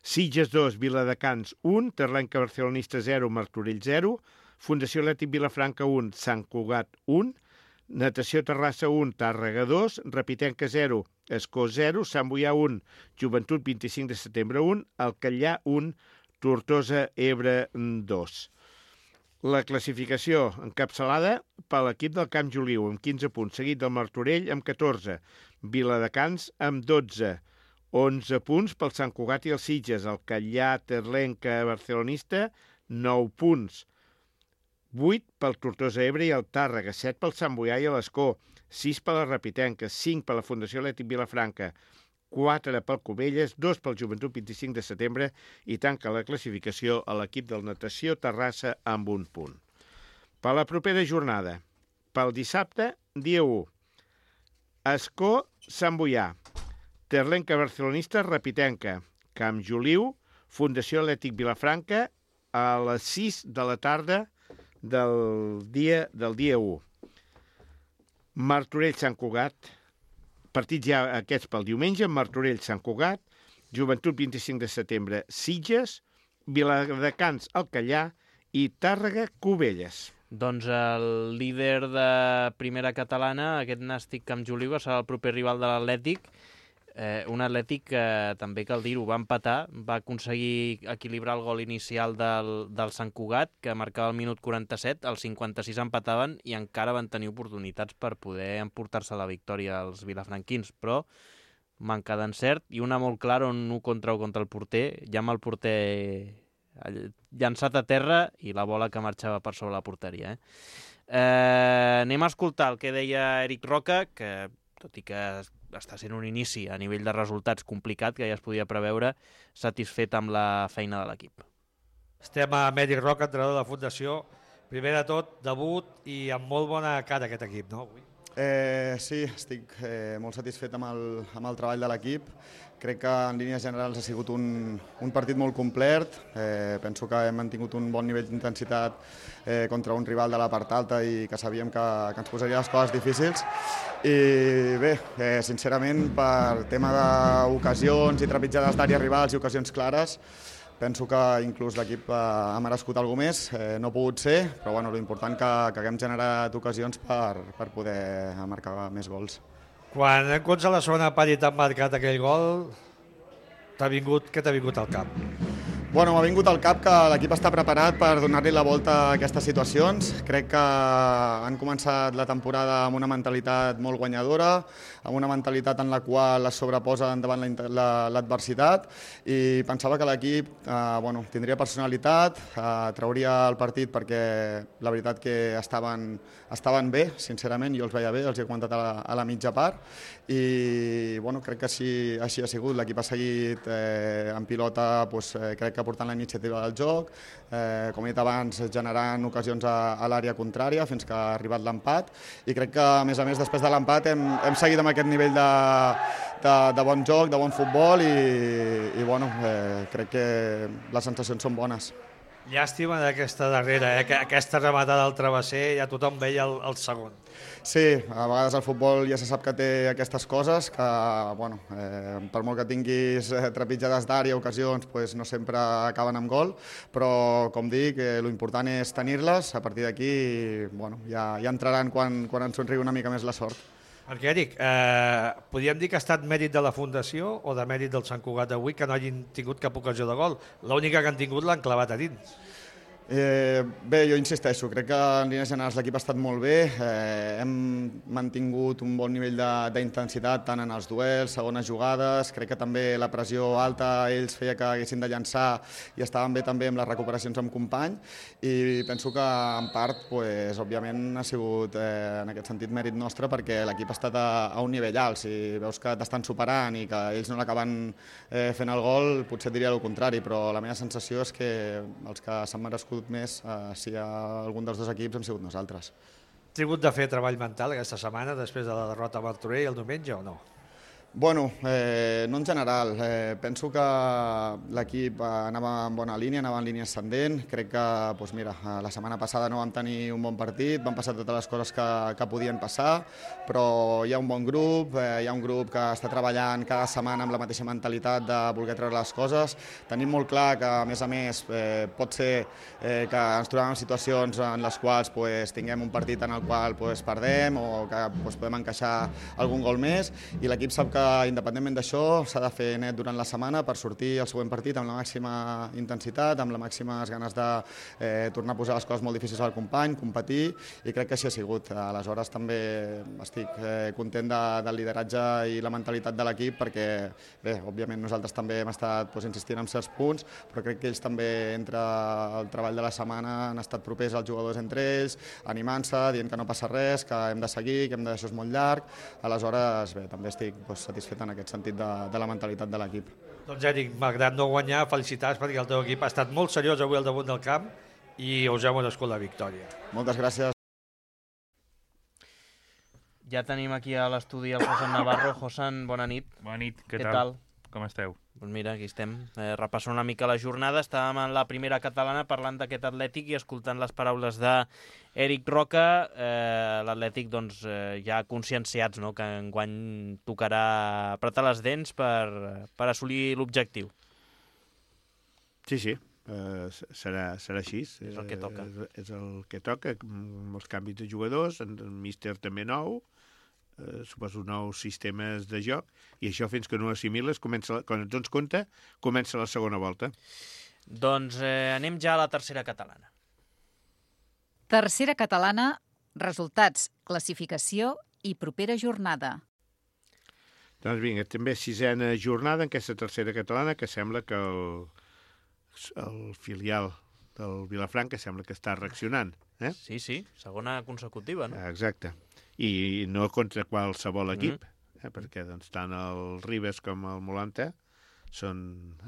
Sitges dos, Viladecans un, Terlenca Barcelonista zero, Martorell zero, Fundació Atlètic Vilafranca un, Sant Cugat un, Natació Terrassa un, Tàrrega dos, Repitenca zero, Escó zero, Sant Boià un, Joventut vint-i-cinc de setembre un, Alcallà un, Tortosa Ebre dos. La classificació encapçalada per l'equip del Camp Joliu amb quinze punts, seguit del Martorell amb catorze, Viladecans amb dotze, onze punts pel Sant Cugat i els Sitges, el Catllà, Terlenca, Barcelonista, nou punts, vuit pel Tortosa Ebre i el Tàrrega, set pel Sant Boià i l'Escó, sis per la Repitenca, cinc per la Fundació Atlètic Vilafranca, quatre pel Cubelles, dos pel Joventut vint-i-cinc de setembre i tanca la classificació a l'equip del Natació Terrassa amb un punt. Per la propera jornada, pel dissabte, dia u, Escó, Sant Boià, Terlenca Barcelonista, Repitenca, Camp Joliu, Fundació Atlètic Vilafranca, a les sis de la tarda del dia, del dia u. Martorell, Sant Cugat, partits ja aquests pel diumenge, Martorell, Sant Cugat, Joventut vint-i-cinc de setembre, Sitges, Viladecans, Alcallà i Tàrrega, Cubelles. Doncs el líder de primera catalana, aquest Nàstic Camp Joliu, serà el proper rival de l'Atlètic, eh, un Atlètic que també cal dir-ho, va empatar, va aconseguir equilibrar el gol inicial del, del Sant Cugat, que marcava el minut quaranta-set, al cinquanta-sis empataven i encara van tenir oportunitats per poder emportar-se la victòria als vilafranquins, però manca d'encert i una molt clara, un u contra u contra el porter, ja amb el porter llançat a terra i la bola que marxava per sobre la porteria. Eh? Eh, anem a escoltar el que deia Eric Roca, que tot i que està sent un inici a nivell de resultats complicat, que ja es podia preveure, satisfet amb la feina de l'equip. Estem amb Eric Roca, entrenador de la Fundació. Primer de tot, debut i amb molt bona cara aquest equip, no? Avui. Eh, sí, estic eh, molt satisfet amb el, amb el treball de l'equip. Crec que en línies generals ha sigut un, un partit molt complet. Eh, penso que hem mantingut un bon nivell d'intensitat eh, contra un rival de la part alta i que sabíem que, que ens posaria les coses difícils. I bé, eh, sincerament, per tema d'ocasions i trepitjades d'àrees rivals i ocasions clares, penso que inclús l'equip ha merescut alguna més, eh, no ha pogut ser, però bueno, l'important que, que haguem generat ocasions per, per poder marcar més gols. Quan en comptes a la segona part i t'han marcat aquell gol, t'ha vingut, què t'ha vingut al cap? Bueno, m'ha vingut al cap que l'equip està preparat per donar-li la volta a aquestes situacions. Crec que han començat la temporada amb una mentalitat molt guanyadora, amb una mentalitat en la qual es sobreposa davant l'adversitat i pensava que l'equip eh, bueno, tindria personalitat, eh, trauria el partit perquè la veritat que estaven, estaven bé, sincerament, jo els veia bé, els he comentat a la, a la mitja part i bueno, crec que així, així ha sigut. L'equip ha seguit eh, en pilota, doncs, eh, crec que portant la iniciativa del joc, eh, com he dit abans, generant ocasions a, a l'àrea contrària fins que ha arribat l'empat i crec que, a més a més, després de l'empat hem, hem seguit amb aquest nivell de, de, de bon joc, de bon futbol i, i bueno, eh, crec que les sensacions són bones. Llàstima d'aquesta darrera, eh? Aquesta rematada al travesser, ja tothom veia el, el segon. Sí, a vegades el futbol ja se sap que té aquestes coses, que bueno, eh, per molt que tinguis trepitjades d'àrea, ocasions, pues no sempre acaben amb gol, però com dic, eh, l'important és tenir-les, a partir d'aquí bueno, ja, ja entraran quan, quan ens somriu una mica més la sort. Perquè, Eric, eh, podríem dir que ha estat mèrit de la Fundació o de mèrit del Sant Cugat avui que no hagin tingut cap ocasió de gol. L'única que han tingut l'han clavat a dins. Eh, bé, jo insisteixo, crec que en línies generals l'equip ha estat molt bé, eh, hem mantingut un bon nivell d'intensitat tant en els duels, segones jugades, crec que també la pressió alta ells feia que haguessin de llançar i estaven bé també amb les recuperacions amb company i penso que en part, pues, òbviament ha sigut eh, en aquest sentit mèrit nostre perquè l'equip ha estat a, a un nivell alt, si veus que t'estan superant i que ells no l'acaben eh, fent el gol, potser et diria el contrari, però la meva sensació és que els que s'han merescut més, eh, si hi ha algun dels dos equips, hem sigut nosaltres. Has tingut de fer treball mental aquesta setmana després de la derrota a Martorell el diumenge o no? Bueno, eh, no en general. Eh, penso que l'equip anava en bona línia, anava en línia ascendent. Crec que, doncs mira, la setmana passada no vam tenir un bon partit, van passar totes les coses que, que podien passar, però hi ha un bon grup, eh, hi ha un grup que està treballant cada setmana amb la mateixa mentalitat de voler treure les coses. Tenim molt clar que, a més a més, eh, pot ser eh, que ens trobem en situacions en les quals pues, tinguem un partit en el qual pues, perdem o que pues, podem encaixar algun gol més i l'equip sap que independentment d'això s'ha de fer net durant la setmana per sortir al següent partit amb la màxima intensitat, amb les màximes ganes de eh, tornar a posar les coses molt difícils al company, competir i crec que així ha sigut. Aleshores també estic eh, content de, del lideratge i la mentalitat de l'equip perquè bé, òbviament nosaltres també hem estat pues, insistint en certs punts, però crec que ells també entre el treball de la setmana han estat propers als jugadors entre ells, animant-se, dient que no passa res, que hem de seguir, que hem de deixar molt llarg. Aleshores, bé, també estic pues, satisfet en aquest sentit de, de la mentalitat de l'equip. Doncs Eric, malgrat no guanyar, felicitats perquè el teu equip ha estat molt seriós avui al damunt del camp i us heu merescut la victòria. Moltes gràcies. Ja tenim aquí a l'estudi el Josan Navarro. Josan, bona nit. Bona nit, què, què tal? tal? Com esteu? Doncs mira, aquí estem, eh, repassant una mica la jornada. Estàvem en la primera catalana parlant d'aquest Atlètic i escoltant les paraules d'Eric Roca. Eh, L'Atlètic doncs, eh, ja conscienciats, no?, que enguany tocarà apretar les dents per, per assolir l'objectiu. Sí, sí, uh, serà, serà així. És el que toca. Uh, és el que toca, amb els canvis de jugadors, en el míster també nou, Uh, suposo nous sistemes de joc i això fins que no assimiles comença, quan et dones compte comença la segona volta. Doncs eh, anem ja a la tercera catalana. Tercera catalana, resultats, classificació i propera jornada. Doncs vinga, també sisena jornada en aquesta tercera catalana que sembla que el, el filial del Vilafranca sembla que està reaccionant. Eh? Sí, sí, segona consecutiva, no? Exacte. I no contra qualsevol equip, mm-hmm. eh, perquè doncs, tant el Ribes com el Molanta són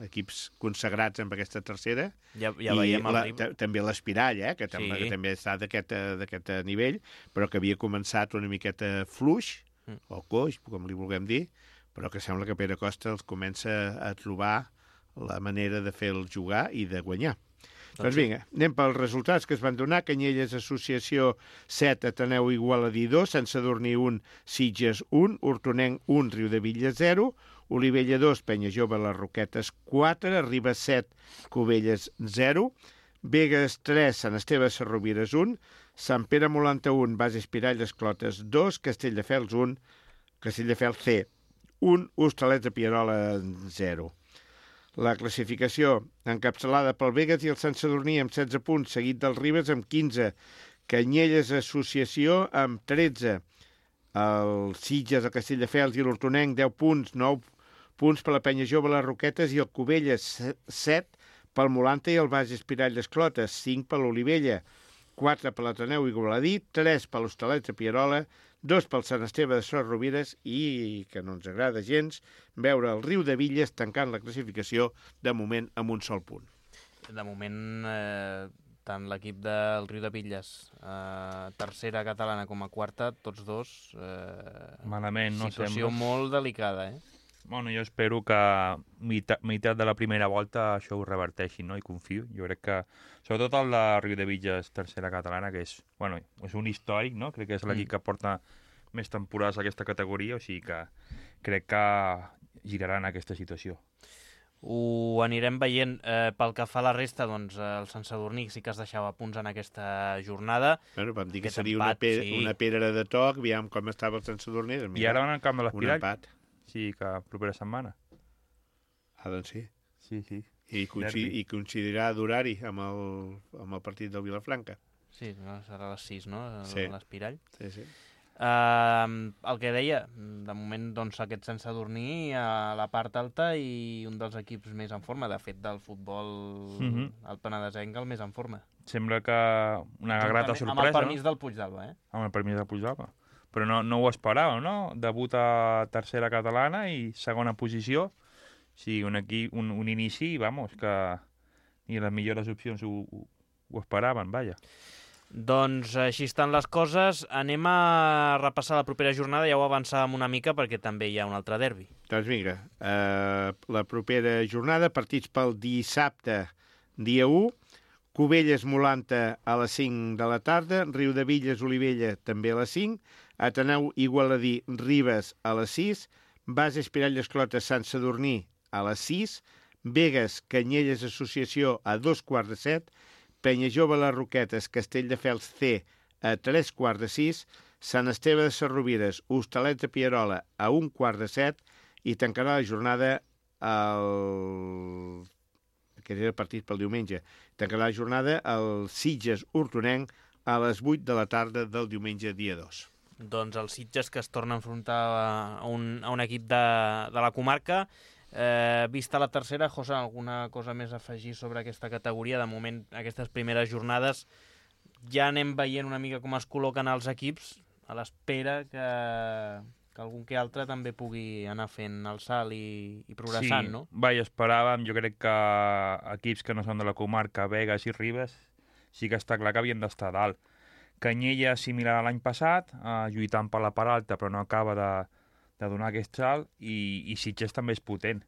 equips consagrats amb aquesta tercera. Ja, ja veiem el ritme. També l'Espirall, eh, que, sí. que també està d'aquest nivell, però que havia començat una miqueta fluix, mm. o coix, com li vulguem dir, però que sembla que Pere Costa els comença a trobar la manera de fer-los jugar i de guanyar. Doncs vinga, anem pels resultats que es van donar. Canyelles Associació set, Ateneu Igualadí dos, Sant Sadurní un, Sitges un, Hortonenc un, Riudebitlles zero, Olivella dos, Penya Jove Les Roquetes quatre, Ribes set, Cubelles zero, Begues tres, Sant Esteve Sarrovires un, Sant Pere Molanta un, Base Espirall Les Clotes dos, Castelldefels un, Castelldefels C un, Hostalets de Pierola zero. La classificació encapçalada pel Begues i el Sant Sadurní amb setze punts, seguit del Ribes amb quinze, Canyelles Associació amb tretze, el Sitges, el Castelldefels i l'Hortonenc deu punts, nou punts per la Penya Jove Les Roquetes i el Cubelles set pel Molanta i el Baix Espirall Les Clotes, cinc per l'Olivella, quatre per l'Ateneu Igualadí, tres per l'Hostalets de Pierola, dos pel Sant Esteve de Sarrovires i, que no ens agrada gens, veure el Riudebitlles tancant la classificació de moment amb un sol punt. De moment, eh, tant l'equip del Riudebitlles, eh, tercera catalana com a quarta, tots dos, eh, malament, no situació sembla. molt delicada, eh? Bueno, jo espero que meitat, meitat de la primera volta això ho reverteixi, no? I confio. Jo crec que, sobretot el de Riudebitlles, tercera catalana, que és, bueno, és un històric, no? Crec que és l'equip mm. que porta més temporades a aquesta categoria, o sigui que crec que giraran aquesta situació. Ho anirem veient. Eh, pel que fa a la resta, doncs el Sant Sadurní sí que es deixava punts en aquesta jornada. Bueno, vam dir que seria empat, una, pe sí. una pedra de toc, aviam com estava el Sant Sadurní. I ara van al camp de l'Espirall. Un empat. Sí, que propera setmana. Ah, doncs sí. Sí, sí. I, coincid i coincidirà d'horari amb, el, amb el partit del Vilafranca. Sí, no, serà a les sis, no? Sí. L'Espirall. Sí, sí. Uh, el que deia, de moment doncs, aquest Sant Sadurní a la part alta i un dels equips més en forma, de fet del futbol mm -hmm. el penedesenc el més en forma. Sembla que una grata sorpresa. Amb el permís no? del Puigdalba, eh? Amb el permís del Puigdalba. Però no, no ho esperàvem, no? Debut a tercera catalana i segona posició. Sí, un, aquí, un, un inici, vamos, que ni les millors opcions ho, ho esperaven, vaja. Doncs així estan les coses. Anem a repassar la propera jornada, ja ho avançàvem una mica perquè també hi ha un altre derbi. Doncs vinga, uh, la propera jornada, partits pel dissabte, dia u, Cubelles Molanta a les cinc de la tarda, Riudebitlles Olivella també a les cinc, Ateneu Igualadí Ribes a les sis, Base Espirall Les Clotes Sant Sadurní a les sis, Begues Canyelles Associació a dos quarts de set, Penya Jove Les Roquetes Castelldefels C a tres quarts de sis, Sant Esteve de Sarrovires Hostalets de Pierola a un quart de set i tancarà la jornada el... aquest era el partit pel diumenge, tancarà la jornada el Sitges Hortonenc a les vuit de la tarda del diumenge dia dos. Doncs el Sitges que es torna a enfrontar a un, a un equip de, de la comarca. Eh, vista la tercera, José, alguna cosa més a afegir sobre aquesta categoria? De moment, aquestes primeres jornades ja anem veient una mica com es col·loquen els equips a l'espera que, que algun que altre també pugui anar fent el salt i, i progressant, sí, no? Vaja, esperàvem, jo crec que equips que no són de la comarca, Begues i Ribes, sí que està clar que havien d'estar dalt. Canyella, similar a l'any passat, eh, lluitant per la part alta, però no acaba de, de donar aquest salt, i, i Sitges també és potent.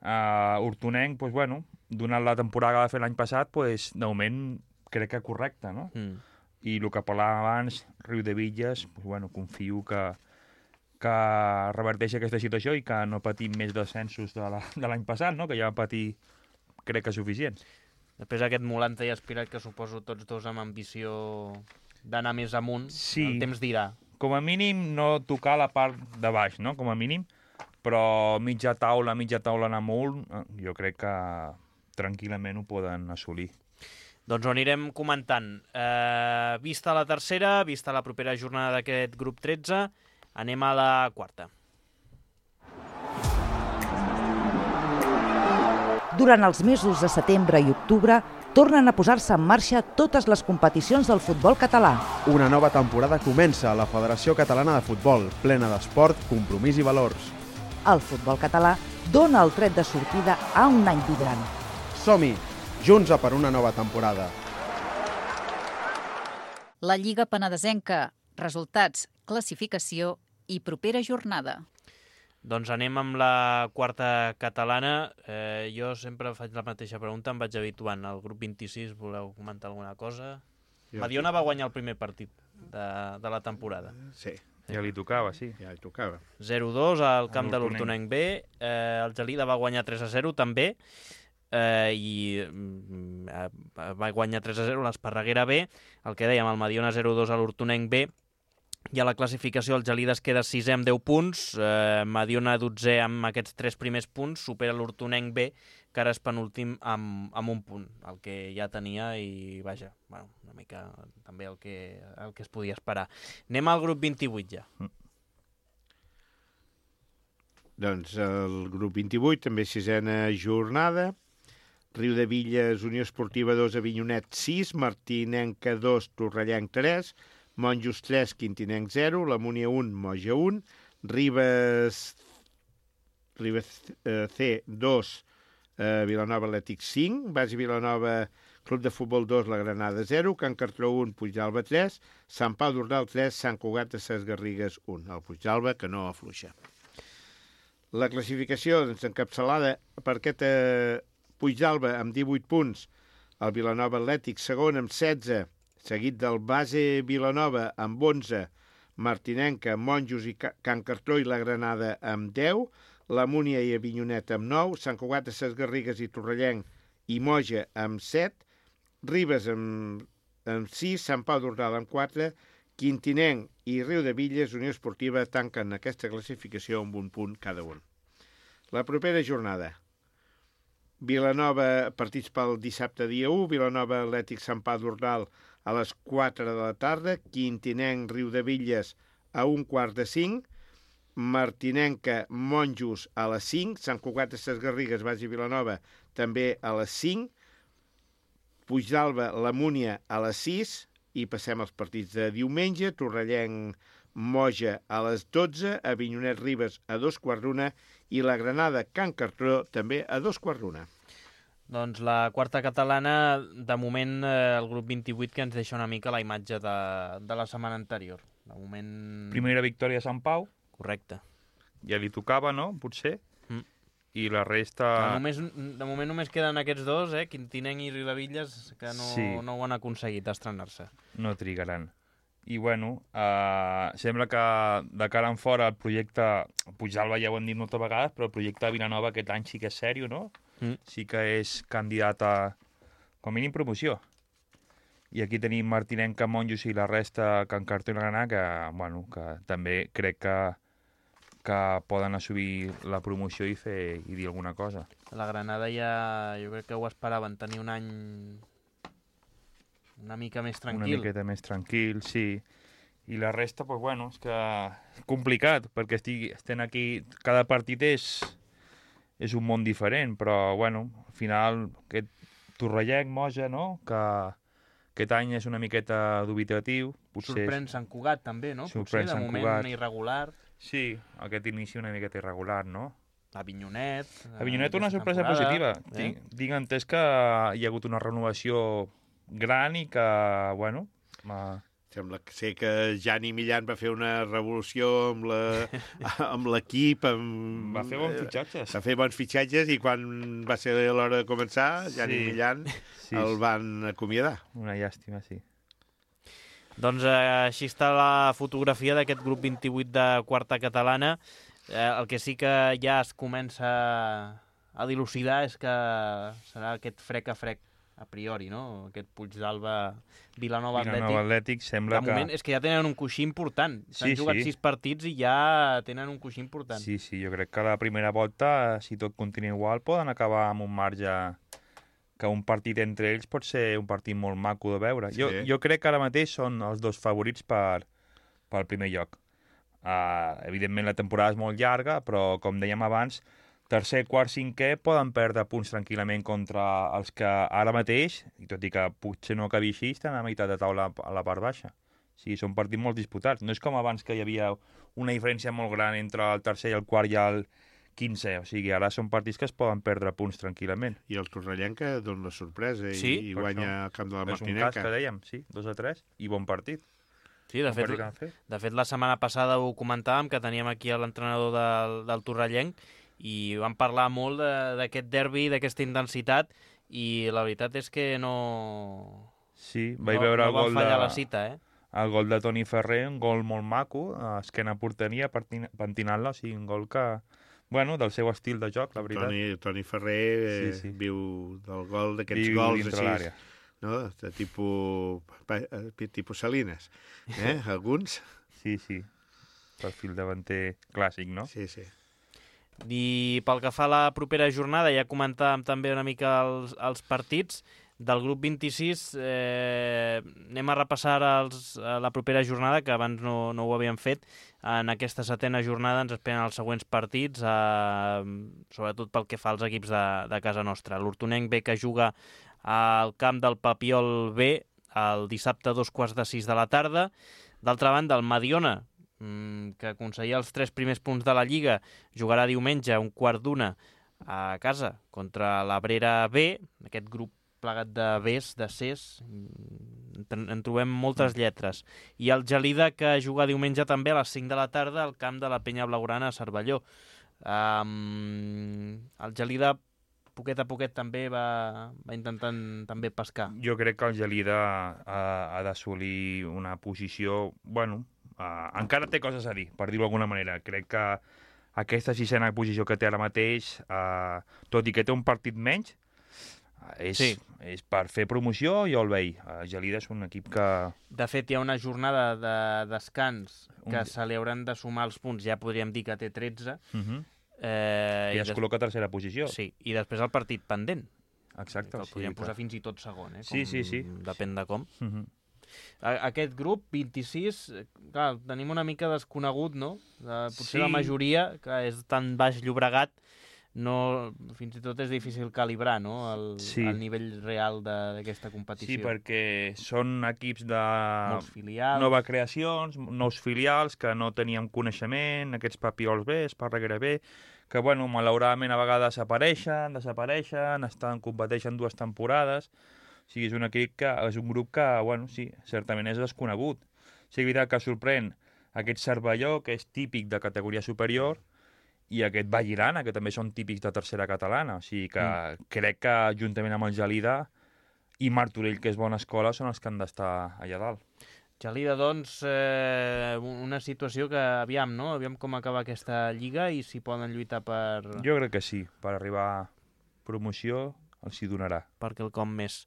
Uh, Hortonenc, pues, bueno, donant la temporada que va fer l'any passat, pues, de moment crec que correcte, no? Mm. I el que parlàvem abans, Riudebitlles, pues, bueno, confio que, que reverteixi aquesta situació i que no patim més descensos de l'any passat, no? Que ja va patir, crec que suficients. Després aquest Molanta i Espirall, que suposo tots dos amb ambició d'anar més amunt, sí. El temps dirà. Com a mínim no tocar la part de baix, no? Com a mínim, però mitja taula, mitja taula anar molt, jo crec que tranquil·lament ho poden assolir. Doncs ho anirem comentant. Eh, vista la tercera, vista la propera jornada d'aquest grup tretze, anem a la quarta. Durant els mesos de setembre i octubre, tornen a posar-se en marxa totes les competicions del futbol català. Una nova temporada comença a la Federació Catalana de Futbol, plena d'esport, compromís i valors. El futbol català dona el tret de sortida a un any vibrant. Som-hi, junts a per una nova temporada. La Lliga Penedesenca. Resultats, classificació i propera jornada. Doncs anem amb la quarta catalana. Eh, jo sempre faig la mateixa pregunta, em vaig habituant. Al grup vint-i-sis, voleu comentar alguna cosa? Jo Mediona va guanyar el primer partit de, de la temporada. Sí. Ja li tocava, sí. Ja li tocava. zero dos al camp de l'Hortonenc l'Hortonenc B. Eh, el Gelida va guanyar tres a zero també. Eh, i mm, eh, va guanyar tres a zero l'Esparreguera B. El que dèiem, el Mediona zero dos a l'Hortonenc B. I a la classificació el Gelida es queda sisè amb deu punts, eh, Mediona dotzè amb aquests tres primers punts, supera l'Hortonenc B, que ara és penúltim amb, amb un punt, el que ja tenia i, vaja, bueno, una mica també el que, el que es podia esperar. Anem al grup vint-i-vuit ja. Mm. Doncs el grup vint-i-vuit, també sisena jornada. Riudevilles, Unió Esportiva dos, Avinyonet sis, Martinenca dos, Torrellenc tres, Monjos tres, Quintinenc zero, la Múnia un, Moja un, Ribes, Ribes eh, C dos, eh, Vilanova Atlètic cinc, Basi Vilanova Club de Futbol dos, la Granada zero, Can Cartró un, Puigdalba tres, Sant Pau d'Ordal tres, Sant Cugat de Ses Garrigues un, el Puigdalba que no afluixa. La classificació doncs, encapçalada per aquest eh, Puigdalba amb divuit punts, el Vilanova Atlètic segon amb setze, seguit del Base Vilanova amb onze, Martinenca, Monjos i Can Cartró i la Granada amb deu, la Múnia i Avinyonet amb nou, Sant Cugat de Ses Garrigues i Torrellenc i Moja amb set, Ribes amb, amb sis, Sant Pau d'Ordal amb quatre, Quintinenc i Riudevilles, Unió Esportiva, tanquen aquesta classificació amb un punt cada un. La propera jornada. Vilanova, partits pel dissabte dia u, Vilanova Atlètic Sant Pau d'Ordal a les quatre de la tarda, Quintinenc Riudevilles a un quart de cinc, Martinenca Monjos a les cinc, Sant Cugat de Ses Garrigues, Basi Vilanova també a les cinc, Puigdalba la Múnia a les sis, i passem als partits de diumenge, Torrellenc Moja a les dotze, Avinyonet Ribes a dos quarts d'una i la Granada Can Cartró també a dos quarts d'una. Doncs la quarta catalana, de moment, eh, el grup vint-i-vuit, que ens deixa una mica la imatge de, de la setmana anterior. De moment... Primera victòria a Sant Pau. Correcte. Ja li tocava, no?, potser. Mm. I la resta... De, només, de moment només queden aquests dos, eh, Quintinenc i Riudevilles, que no, sí. no ho han aconseguit estrenar-se. No trigaran. I, bueno, eh, sembla que de cara en fora el projecte, Puigdalba ja ho hem dit moltes vegades, però el projecte de Vilanova aquest any sí que és sèrio, no? Mm. Sí que és candidat a, com a mínim, promoció. I aquí tenim Martinenca, Monjos i la resta, Can Cartró i la Granada, que, bueno, que també crec que, que poden assumir la promoció i fer i dir alguna cosa. La Granada ja, jo crec que ho esperaven, tenir un any una mica més tranquil. Una miqueta més tranquil, sí. I la resta, doncs, bueno, és que és complicat, perquè estic, estem aquí, cada partit és, és un món diferent, però, bueno, al final, aquest Torrellenc, Moja, no?, que aquest any és una miqueta dubitatiu. Potser sorprèn Sant Cugat, també, no? Sorprèn Potser, de moment, Cugat. irregular. Sí, aquest inici una miqueta irregular, no? Avinyonet. Avinyonet, una sorpresa positiva. Eh? Tinc, tinc entès que hi ha hagut una renovació gran i que, bueno... Ma... Sembla que sé que Jani Millan va fer una revolució amb l'equip. Amb... Va fer bons fitxatges. Va fer bons fitxatges i quan va ser l'hora de començar, Jani sí. Millan sí. el van acomiadar. Una llàstima, sí. Doncs eh, així està la fotografia d'aquest grup vint-i-vuit de quarta catalana. Eh, el que sí que ja es comença a dilucidar és que serà aquest frec a frec a priori, no? Aquest Puigdalba, Vilanova Atlètic. Vilanova Atlètic sembla que... De moment és que ja tenen un coixí important. S'han sí, jugat sí. sis partits i ja tenen un coixí important. Sí, sí, jo crec que la primera volta, si tot continua igual, poden acabar amb un marge que un partit entre ells pot ser un partit molt maco de veure. Sí. Jo, jo crec que ara mateix són els dos favorits per, per primer lloc. Uh, evidentment la temporada és molt llarga, però com dèiem abans, tercer, quart, cinquè poden perdre punts tranquil·lament contra els que ara mateix, i tot i que potser no acabi així, estan a meitat de taula a la part baixa. O sigui, són partits molt disputats. No és com abans que hi havia una diferència molt gran entre el tercer i el quart i el quinze, o sigui, ara són partits que es poden perdre punts tranquil·lament. I el Torrellenca dona la sorpresa i, sí, i guanya al camp de la Martinenca. És un cas que dèiem, sí, dos a tres, i bon partit. Sí, de fet, de fet, la setmana passada ho comentàvem, que teníem aquí l'entrenador del, del Torrellenc, i vam parlar molt d'aquest derbi, d'aquesta intensitat, i la veritat és que no... Sí, vaig no, veure no el gol va fallar de... la cita, eh? El gol de Toni Ferrer, un gol molt maco, a esquena porteria, pentinant-la, o sigui, un gol que... Bueno, del seu estil de joc, la veritat. Toni, Toni Ferrer eh, sí, sí. viu del gol d'aquests gols així, no? De tipus, tipus Salines, eh? Alguns. Sí, sí, perfil davanter clàssic, no? Sí, sí. I pel que fa a la propera jornada, ja comentàvem també una mica els, els partits del grup vint-i-sis. Eh, anem a repassar els, la propera jornada, que abans no, no ho havíem fet. En aquesta setena jornada ens esperen els següents partits, eh, sobretot pel que fa als equips de, de casa nostra. L'Hortonenc B, que juga al camp del Papiol B el dissabte a dos quarts de sis de la tarda. D'altra banda, el Mediona, que aconseguia els tres primers punts de la Lliga, jugarà diumenge a un quart d'una a casa contra l'Abrera B, aquest grup plegat de Bs, de Cs, en, en trobem moltes lletres. I el Gelida, que juga diumenge també a les cinc de la tarda al camp de la Penya Blaugrana a Cervelló. Um, el Gelida, poquet a poquet, també va, va intentant també pescar. Jo crec que el Gelida ha, ha d'assolir una posició... Bueno, uh, encara té coses a dir, per dir-ho d'alguna manera. Crec que aquesta sisena posició que té ara mateix, uh, tot i que té un partit menys, És, sí. és per fer promoció, jo el veig. El Gelida és un equip que... De fet, hi ha una jornada de descans que un... se li hauran de sumar els punts, ja podríem dir que té tretze. Uh-huh. eh, I, I es des... col·loca a tercera posició. Sí, i després el partit pendent. Exacte. Que el podríem sí, posar clar. fins i tot segon, eh? Com... Sí, sí, sí. Depèn de com. Uh-huh. Aquest grup, vint-i-sis, clar, tenim una mica desconegut, no? Potser sí. la majoria, que és tan baix Llobregat, no, fins i tot és difícil calibrar, no? el, sí. el nivell real d'aquesta competició. Sí, perquè són equips de molts filials, nova creacions, nous filials que no teníem coneixement, aquests Papiols B, Esparreguera B, que, bueno, malauradament a vegades apareixen, desapareixen, estan, competeixen dues temporades. O sigui, és un equip que, és un grup que, bueno, sí, certament és desconegut. Sí, és veritat que sorprèn aquest Cervelló, que és típic de categoria superior, i aquest Vallirana, que també són típics de tercera catalana. O sigui que mm. crec que juntament amb el Gelida i Martorell, que és bona escola, són els que han d'estar allà dalt. Gelida, doncs, eh, una situació que aviam, no? Aviam com acaba aquesta lliga i si poden lluitar per... Jo crec que sí, per arribar a promoció els hi donarà. Per quelcom més.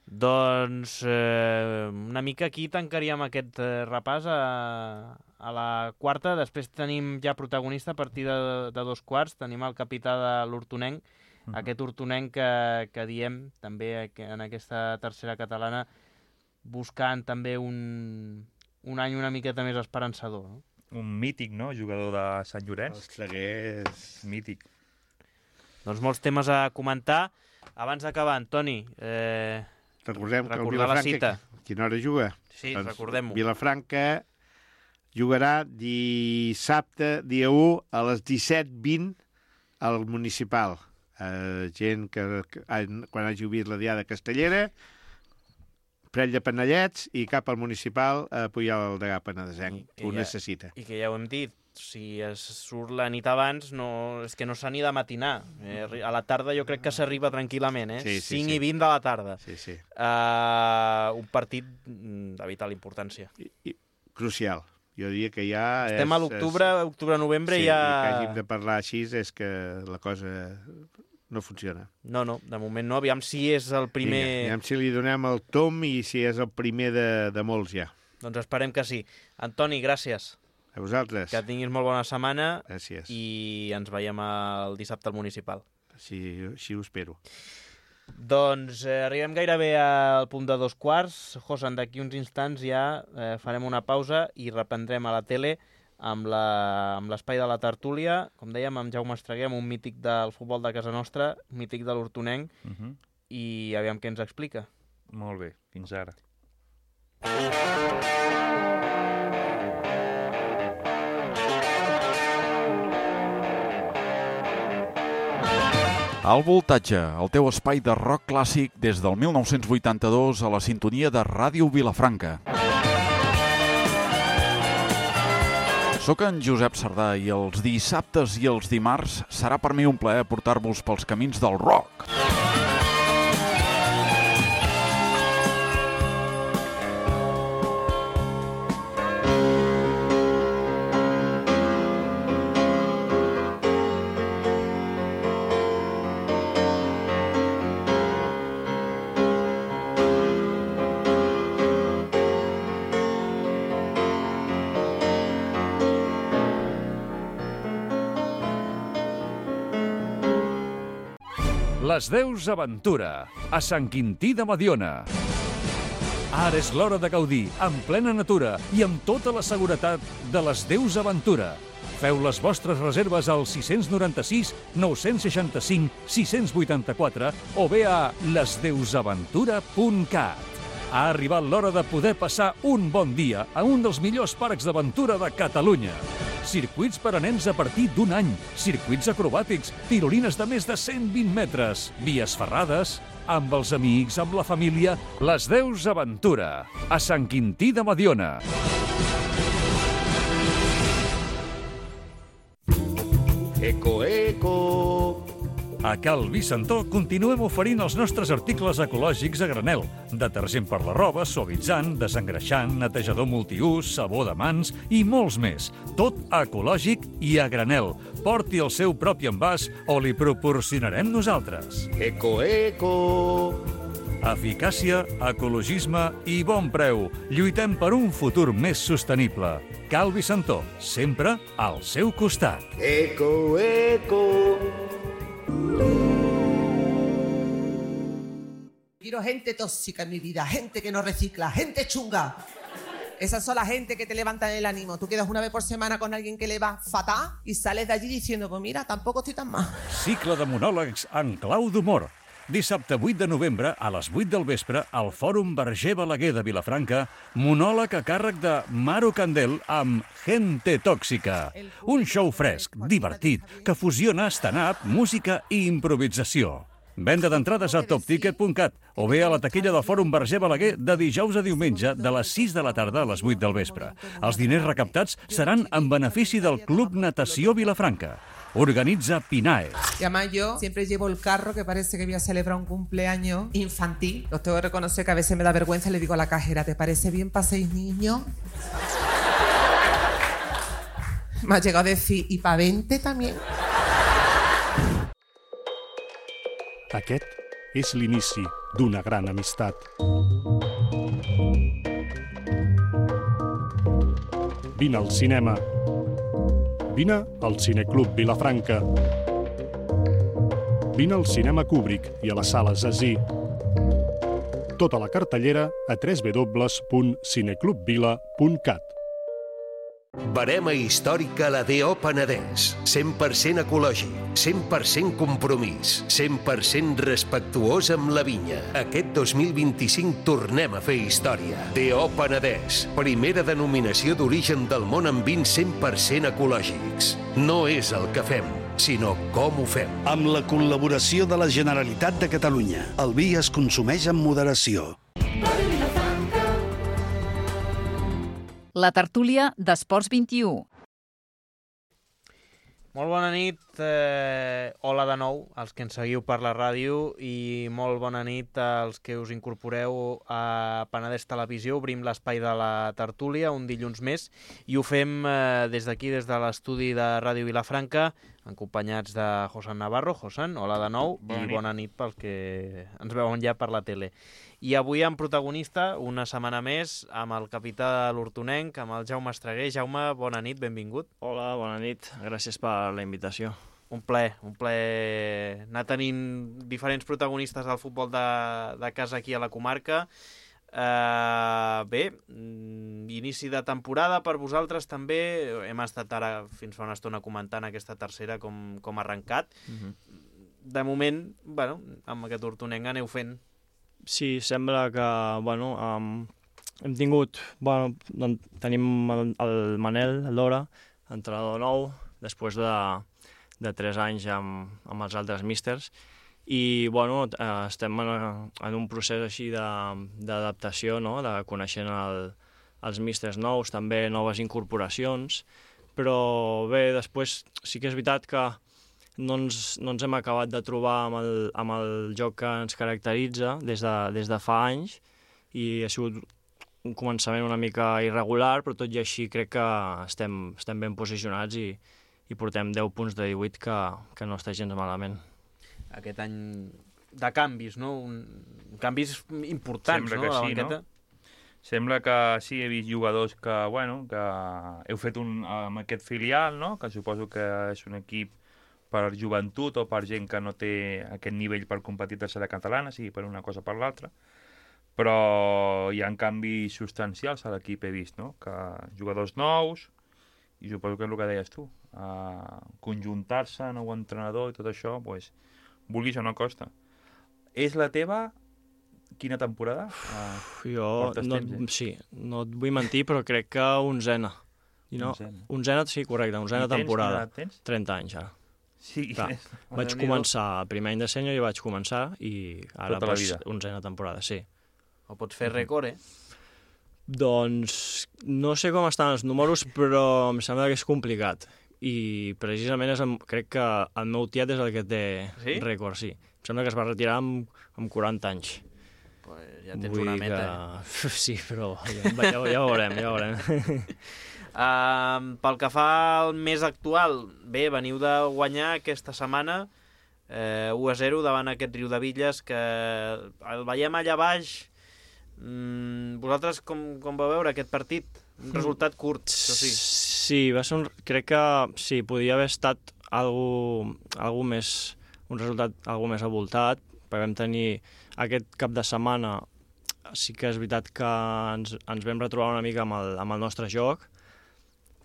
Doncs eh, una mica aquí tancaríem aquest eh, repàs a, a la quarta. Després tenim ja protagonista a partir de, de dos quarts. Tenim el capità de l'Hortonenc, uh-huh. aquest Hortonenc que, que diem també en aquesta tercera catalana, buscant també un, un any una miqueta més esperançador. No? Un mític, no?, jugador de Sant Llorenç. El Traguer és mític. Doncs molts temes a comentar. Abans d'acabar, Antoni, eh, recordem que el Vilafranca, Vilafranca, quina hora juga? Sí, doncs recordem-ho. Vilafranca jugarà dissabte, dia u, a les disset vint al Municipal. Eh, gent que, que quan hagi vist la diada castellera, prell de panellets i cap al Municipal a pujar el degà penedesenc. Ho ja, necessita. I que ja ho hem dit, si es surt la nit abans, no, és que no s'ha ni de matinar. Eh, a la tarda jo crec que s'arriba tranquil·lament, eh? Sí, sí, cinc sí. i vint de la tarda. Sí, sí. Uh, un partit de vital importància. I, i, crucial. Jo diria que ja... Estem és, a l'octubre, és... octubre-novembre sí, ja... Sí, que hàgim de parlar així és que la cosa no funciona. No, no, de moment no. Aviam si és el primer... Vinga, aviam si li donem el tom i si és el primer de, de molts ja. Doncs esperem que sí. Antoni, gràcies. A vosaltres. Que tinguis molt bona setmana. Gràcies. I ens veiem el dissabte al Municipal. Sí, així ho espero. Doncs eh, arribem gairebé al punt de dos quarts. Josan, d'aquí uns instants ja eh, farem una pausa i reprendrem a la tele amb l'espai de la tertúlia. Com dèiem, amb Jaume Estreguer, un mític del futbol de casa nostra, mític de l'Hortonenc, uh-huh. i aviam què ens explica. Molt bé, fins ara. Al Voltatge, el teu espai de rock clàssic des del mil nou-cents vuitanta-dos a la sintonia de Ràdio Vilafranca. Soc en Josep Sardà i els dissabtes i els dimarts serà per mi un plaer portar-vos pels camins del rock. Les Deus Aventura, a Sant Quintí de Mediona. Ara és l'hora de gaudir, en plena natura i amb tota la seguretat de les Deus Aventura. Feu les vostres reserves al sis nou sis, nou sis cinc, sis vuit quatre o bé a les deus aventura punt cat. Ha arribat l'hora de poder passar un bon dia a un dels millors parcs d'aventura de Catalunya. Circuits per a nens a partir d'un any, circuits acrobàtics, tirolines de més de cent vint metres, vies ferrades, amb els amics, amb la família, les Deus Aventura, a Sant Quintí de Mediona. Eco, eco... A Cal Vicentó continuem oferint els nostres articles ecològics a granel. Detergent per la roba, suavitzant, desengreixant, netejador multiús, sabó de mans i molts més. Tot ecològic i a granel. Porti el seu propi envàs o li proporcionarem nosaltres. Eco, eco... Eficàcia, ecologisme i bon preu. Lluitem per un futur més sostenible. Cal Vicentó, sempre al seu costat. Eco, eco... Quiero gente tóxica en mi vida, gente que no recicla, gente chunga. Esas son la gente que te levantan el ánimo. Tú quedas una vez por semana con alguien que le va fatal y sales de allí diciendo, pues mira, tampoco estoy tan mal. Cicle de monòlegs en clau d'humor. Dissabte vuit de novembre, a les vuit del vespre, al Fòrum Verger Balaguer de Vilafranca, monòleg a càrrec de Maro Candel amb Gente Tòxica. Un show fresc, divertit, que fusiona stand-up, música i improvisació. Venda d'entrades a top ticket punt cat o bé a la taquilla del Fòrum Verger Balaguer de dijous a diumenge de les sis de la tarda a les vuit del vespre. Els diners recaptats seran en benefici del Club Natació Vilafranca. Organitza Pinae. Y además yo siempre llevo el carro que parece que voy a celebrar un cumpleaños infantil. Los tengo que reconocer que a veces me da vergüenza y le digo a la cajera, ¿te parece bien para seis niños? Me ha llegado a decir, ¿y para veinte también? Aquest és l'inici d'una gran amistat. Vine al cinema. Vine al Cineclub Vilafranca. Vine al Cinema Kubrick i a les sales Así. Tota la cartellera a w w w punt cineclubvila punt cat. Barema històrica a la D O Penedès. cent per cent ecològic, cent per cent compromís, cent per cent respectuós amb la vinya. Aquest dos mil vint-i-cinc tornem a fer història. D O Penedès, primera denominació d'origen del món amb vins cent per cent ecològics. No és el que fem, sinó com ho fem. Amb la col·laboració de la Generalitat de Catalunya, el vi es consumeix amb moderació. La tertúlia d'Esports vint-i-u. Molt bona nit, eh, hola de nou als que ens seguiu per la ràdio i molt bona nit als que us incorporeu a Penedès Televisió. Obrim l'espai de la tertúlia un dilluns més i ho fem eh, des d'aquí, des de l'estudi de Ràdio Vilafranca, acompanyats de Josan Navarro. Josan, hola de nou bona i nit. Bona nit pels que ens veuen ja per la tele. I avui amb protagonista, una setmana més, amb el capità de l'Hortonenc, amb el Jaume Estreguer. Jaume, bona nit, benvingut. Hola, bona nit. Gràcies per la invitació. Un plaer, un plaer anar tenint diferents protagonistes del futbol de, de casa aquí a la comarca. Uh, bé, inici de temporada per vosaltres també. Hem estat ara fins fa una estona comentant aquesta tercera com, com ha arrencat. Uh-huh. De moment, bueno, amb aquest Hortonenc aneu fent. Sí, sembla que, bueno, um, hem tingut, bueno, doncs, tenim el, el Manel, l'Hora, entrenador nou, després de, de tres anys amb, amb els altres místers, i bueno, estem en, en un procés així d'adaptació, no? De coneixent el, els místers nous, també noves incorporacions, però bé, després sí que és veritat que no ens, no ens hem acabat de trobar amb el, amb el joc que ens caracteritza des de, des de fa anys, i ha sigut un començament una mica irregular, però tot i així crec que estem, estem ben posicionats i, i portem deu punts de divuit que, que no està gens malament. Aquest any de canvis, no? Un... Canvis importants, Sembla no? que La sí, banqueta. no? Sembla que sí, he vist jugadors que, bueno, que heu fet un, amb aquest filial, no? Que suposo que és un equip per joventut o per gent que no té aquest nivell per competir a tercera catalana, sigui per una cosa o per l'altra. Però hi ha canvis substancials a l'equip, he vist, no? Que jugadors nous, i suposo que és el que deies tu, uh, conjuntar-se, nou entrenador i tot això, pues, vulguis o no costa. És la teva quina temporada? Uh, jo, no, temps, eh? Sí, no et vull mentir, però crec que onzena. I no, onzena. onzena, sí, correcte, onzena I temporada. Tens, tens? trenta anys, ara. Sí, clar, vaig començar, el primer any de sènior i vaig començar, i ara tota pues, onzena temporada, sí. O pots fer rècord, eh? Doncs no sé com estan els números, però em sembla que és complicat. I precisament és, crec que el meu tiet és el que té sí? rècord, sí. Em sembla que es va retirar amb, amb quaranta anys. Pues ja tens Vull una meta. Que... Sí, però ja, ja, ja ho veurem, ja ho veurem. uh, pel que fa al més actual, bé, veniu de guanyar aquesta setmana eh, u a zero davant aquest Riudebitlles, que el veiem allà baix. Mm, vosaltres com, com vau veure aquest partit? Un resultat curt, això sí. Sí, va ser un, crec que sí, podia haver estat algo, algo més, un resultat algo més avoltat, perquè vam tenir aquest cap de setmana, sí que és veritat que ens, ens vam retrobar una mica amb el, amb el nostre joc,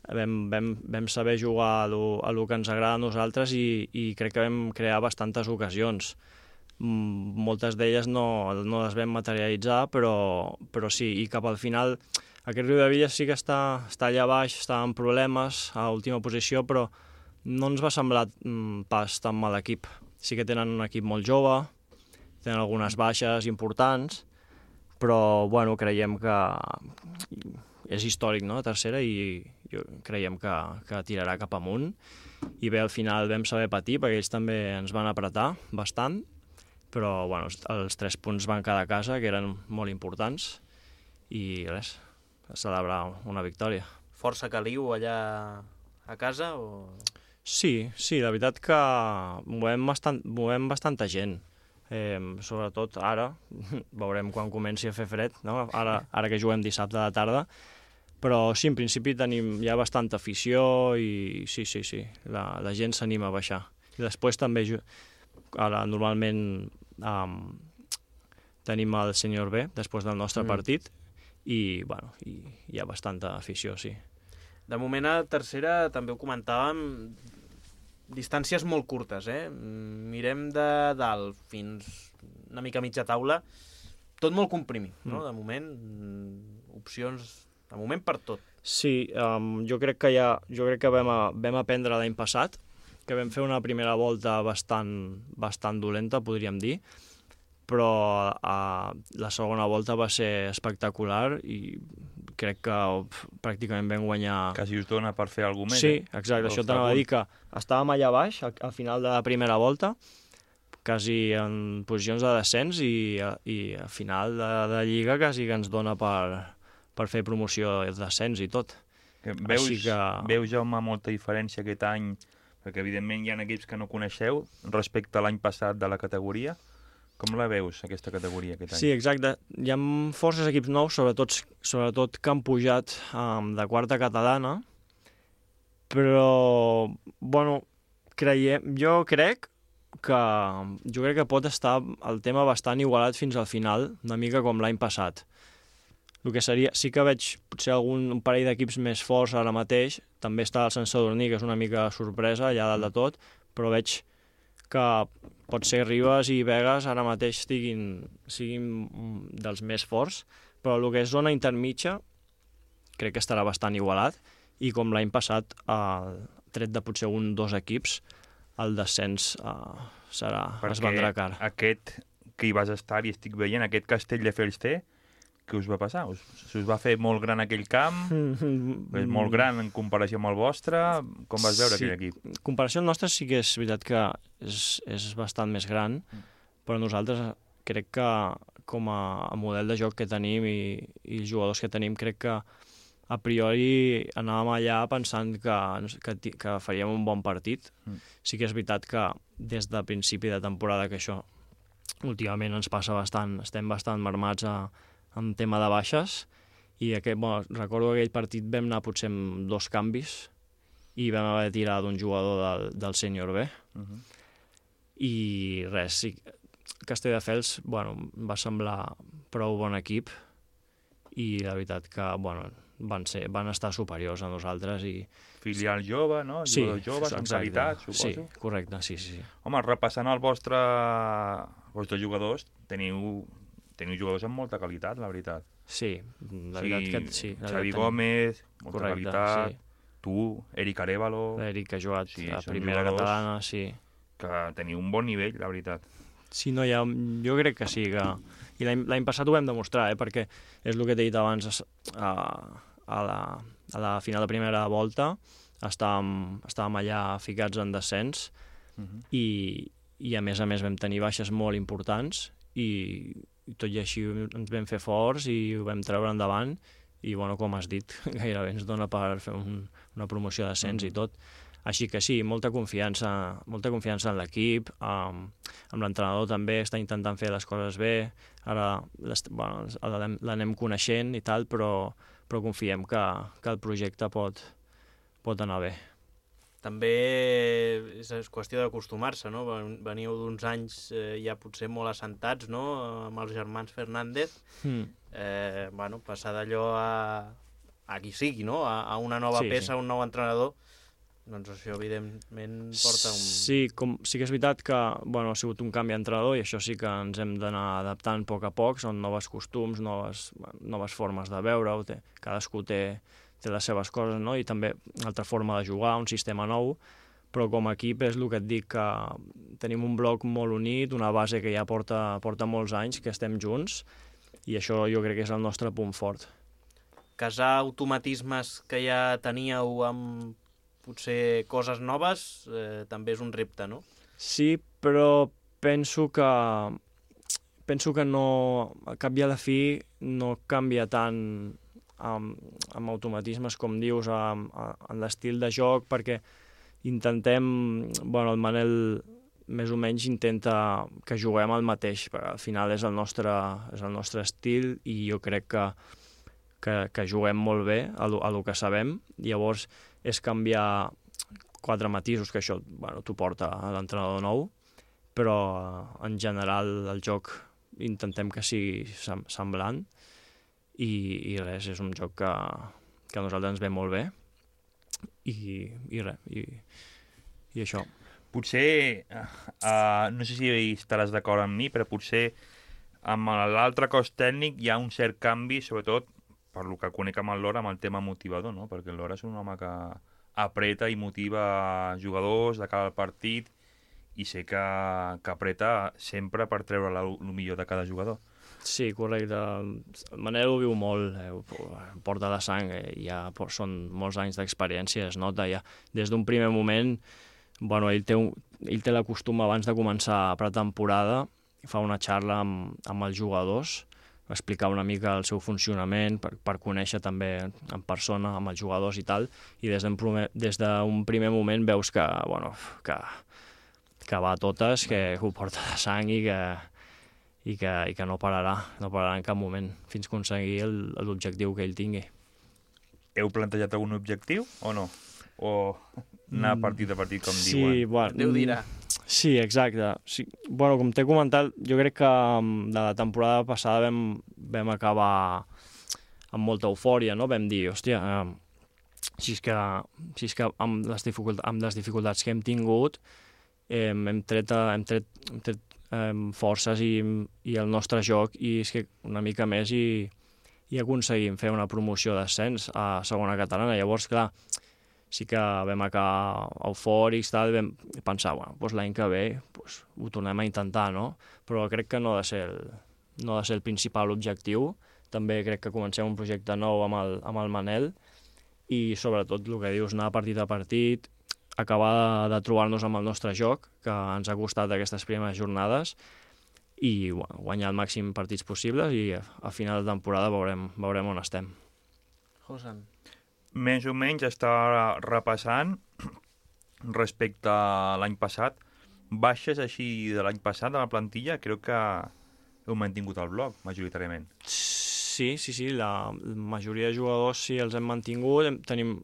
vam, vam, vam saber jugar a lo, a lo que ens agrada a nosaltres i, i crec que vam crear bastantes ocasions. Moltes d'elles no, no les vam materialitzar, però, però sí, i cap al final aquest Riudebitlles sí que està, està allà baix, està en problemes a última posició, però no ens va semblar mm, pas tan mal equip. Sí que tenen un equip molt jove, tenen algunes baixes importants, però bueno, creiem que és històric, no?, tercera, i jo, creiem que, que tirarà cap amunt. I bé, al final vam saber patir, perquè ells també ens van apretar bastant, però bueno, els tres punts van quedar a casa, que eren molt importants, i res, a celebrar una victòria. Força caliu allà a casa? O... Sí, sí, la veritat que movem, bastant, movem bastanta gent, eh, sobretot ara, veurem quan comenci a fer fred, no? ara, ara que juguem dissabte de tarda, però sí, en principi tenim ja bastanta afició i sí, sí, sí, la, la gent s'anima a baixar. I després també, ara normalment um, tenim el Sènior B després del nostre mm. partit i, bueno, i hi ha bastanta afició, sí. De moment a tercera també ho comentàvem, distàncies molt curtes, eh? Mirem de dalt fins una mica mitja taula, tot molt comprimit, no? Mm. De moment, opcions, de moment per tot. Sí, um, jo crec que ja, jo crec que vam, a, vam aprendre l'any passat, que vam fer una primera volta bastant, bastant dolenta, podríem dir, però uh, la segona volta va ser espectacular i crec que pràcticament vam guanyar... Quasi us dona per fer alguna cosa més. Sí, eh? exacte, això t'anava a dir que estàvem allà baix, al, al final de la primera volta, quasi en posicions de descens i, i al final de, de Lliga quasi que ens dona per, per fer promoció de descens i tot. Que veus, que... veus, Jaume, molta diferència aquest any, perquè evidentment hi ha equips que no coneixeu respecte a l'any passat de la categoria. Com la veus, aquesta categoria, aquest any? Sí, exacte. Hi ha forces equips nous, sobretot, sobretot que han pujat um, de quarta catalana, però, bueno, creiem, jo crec que jo crec que pot estar el tema bastant igualat fins al final, una mica com l'any passat. El que seria, sí que veig potser algun un parell d'equips més forts ara mateix, també està el Sant Sadurní, que és una mica sorpresa allà dalt de tot, però veig que pot ser Ribes i Begues ara mateix estiguin, siguin dels més forts, però el que és zona intermitja crec que estarà bastant igualat, i com l'any passat, el tret de potser un dos equips, el descens uh, serà, es vendrà car. Perquè aquest que hi vas estar i estic veient, aquest Castelldefels té, què us va passar? Us, us va fer molt gran aquell camp? Mm-hmm. És molt gran en comparació amb el vostre? Com vas veure sí, aquell equip? En comparació amb el nostre sí que és veritat que és, és bastant més gran, mm. però nosaltres crec que com a, a model de joc que tenim i, i els jugadors que tenim, crec que a priori anàvem allà pensant que, que, que faríem un bon partit. Mm. Sí que és veritat que des de principi de temporada, que això últimament ens passa bastant, estem bastant marmats a, en tema de baixes, i aquest, bueno, recordo que aquell partit vam anar potser amb dos canvis i vam haver de tirar d'un jugador del, del sènior B. Uh-huh. I res, sí, Castelldefels, bueno, va semblar prou bon equip i la veritat que, bueno, van, ser, van estar superiors a nosaltres i... Filial jove, no? Sí, jugadors joves, amb qualitat, suposo. Sí, correcte, sí, sí. Home, repassant el vostre, els vostres jugadors, teniu, teniu jugadors amb molta qualitat, la veritat. Sí, la veritat sí, que sí. Xavi Gómez, molta correcte, qualitat, sí. Tu, Eric Arévalo... L'Eric ha jugat sí, a primera catalana, sí. Que teniu un bon nivell, la veritat. Sí, no, ja, jo crec que sí, que... I l'any passat ho vam demostrar, eh, perquè és el que t'he dit abans, a, a, la, a la final de primera volta estàvem, estàvem allà ficats en descens uh-huh. i, i a més a més vam tenir baixes molt importants i, i tot i així ens vam fer forts i ho vam treure endavant i, bueno, com has dit, gairebé ens dona per fer un, una promoció d'ascens uh-huh. i tot. Així que sí, molta confiança, molta confiança en l'equip, um, amb l'entrenador també està intentant fer les coses bé, ara bueno, l'anem coneixent i tal, però, però confiem que, que el projecte pot, pot anar bé. També és qüestió d'acostumar-se, no? Veniu d'uns anys eh, ja potser molt assentats, no?, amb els germans Fernández. Mm. Eh, bueno, passar d'allò a, a qui sigui, no?, a, a una nova sí, peça, sí. un nou entrenador, doncs això evidentment porta un... Sí, com, sí que és veritat que bueno, ha sigut un canvi d'entrenador i això sí que ens hem d'anar adaptant a poc a poc, són noves costums, noves, noves formes de veure-ho, té, cadascú té, té les seves coses, no? I també una altra forma de jugar, un sistema nou, però com a equip és el que et dic, que tenim un bloc molt unit, una base que ja porta, porta molts anys, que estem junts, i això jo crec que és el nostre punt fort. Casar automatismes que ja teníeu amb potser coses noves, eh, també és un repte, no? Sí, però penso que penso que no, a cap i a la fi no canvia tant amb, amb automatismes, com dius, amb, amb l'estil de joc, perquè intentem, bueno, el Manel més o menys intenta que juguem el mateix, perquè al final és el nostre, és el nostre estil i jo crec que, que, que juguem molt bé a lo, a lo que sabem, llavors és canviar quatre matisos, que això bueno, t'ho porta a l'entrenador nou, però en general el joc intentem que sigui semblant i, i res, és un joc que, que a nosaltres ens ve molt bé i, i res, i, i això. Potser, uh, no sé si estaràs d'acord amb mi, però potser amb l'altre cos tècnic hi ha un cert canvi, sobretot per lo que conec amb el Lora, amb el tema motivador, no? Perquè el Lora és un home que apreta i motiva jugadors de cada partit i sé que, que apreta sempre per treure el millor de cada jugador. Sí, correcte. El Manel ho viu molt, eh, porta la sang, eh, ja són molts anys d'experiència, es nota ja. Des d'un primer moment, bueno, ell té, un, ell té la costum abans de començar a pretemporada, fa una xarra amb, amb els jugadors, explicar una mica el seu funcionament per, per conèixer també en persona amb els jugadors i tal, i des d'un primer, des d'un primer moment veus que, bueno, que, que va a totes, que ho porta de sang i que, i que, i que no pararà, no pararà en cap moment fins a aconseguir l'objectiu que ell tingui. Heu plantejat algun objectiu o no? O anar partit a partit, com sí, diuen? Bueno, Déu dirà. Sí, exacte. Sí, bueno, com t'he comentat, jo crec que de la temporada passada vam, vam acabar amb molta eufòria, no? Vam dir, hòstia, eh, si és que, si és que amb, les dificultats, amb les dificultats que hem tingut eh, hem tret, hem tret, hem tret eh, forces i, i el nostre joc i és que una mica més i, i aconseguim fer una promoció d'ascens a segona catalana. Llavors, clar, sí que vam acabar eufòrics, tal, i vam pensar, bueno, doncs l'any que ve doncs, ho tornem a intentar, no? Però crec que no ha de ser el, no ha de ser el principal objectiu. També crec que comencem un projecte nou amb el, amb el Manel i sobretot el que dius, anar partit a partit, acabar de, de trobar-nos amb el nostre joc, que ens ha costat aquestes primeres jornades, i guanyar el màxim partits possibles i a final de temporada veurem, veurem on estem. Josan. Més o menys està repassant respecte a l'any passat. Baixes així de l'any passat de la plantilla, crec que heu mantingut el bloc, majoritàriament. Sí, sí, sí, la majoria de jugadors sí els hem mantingut, hem, tenim,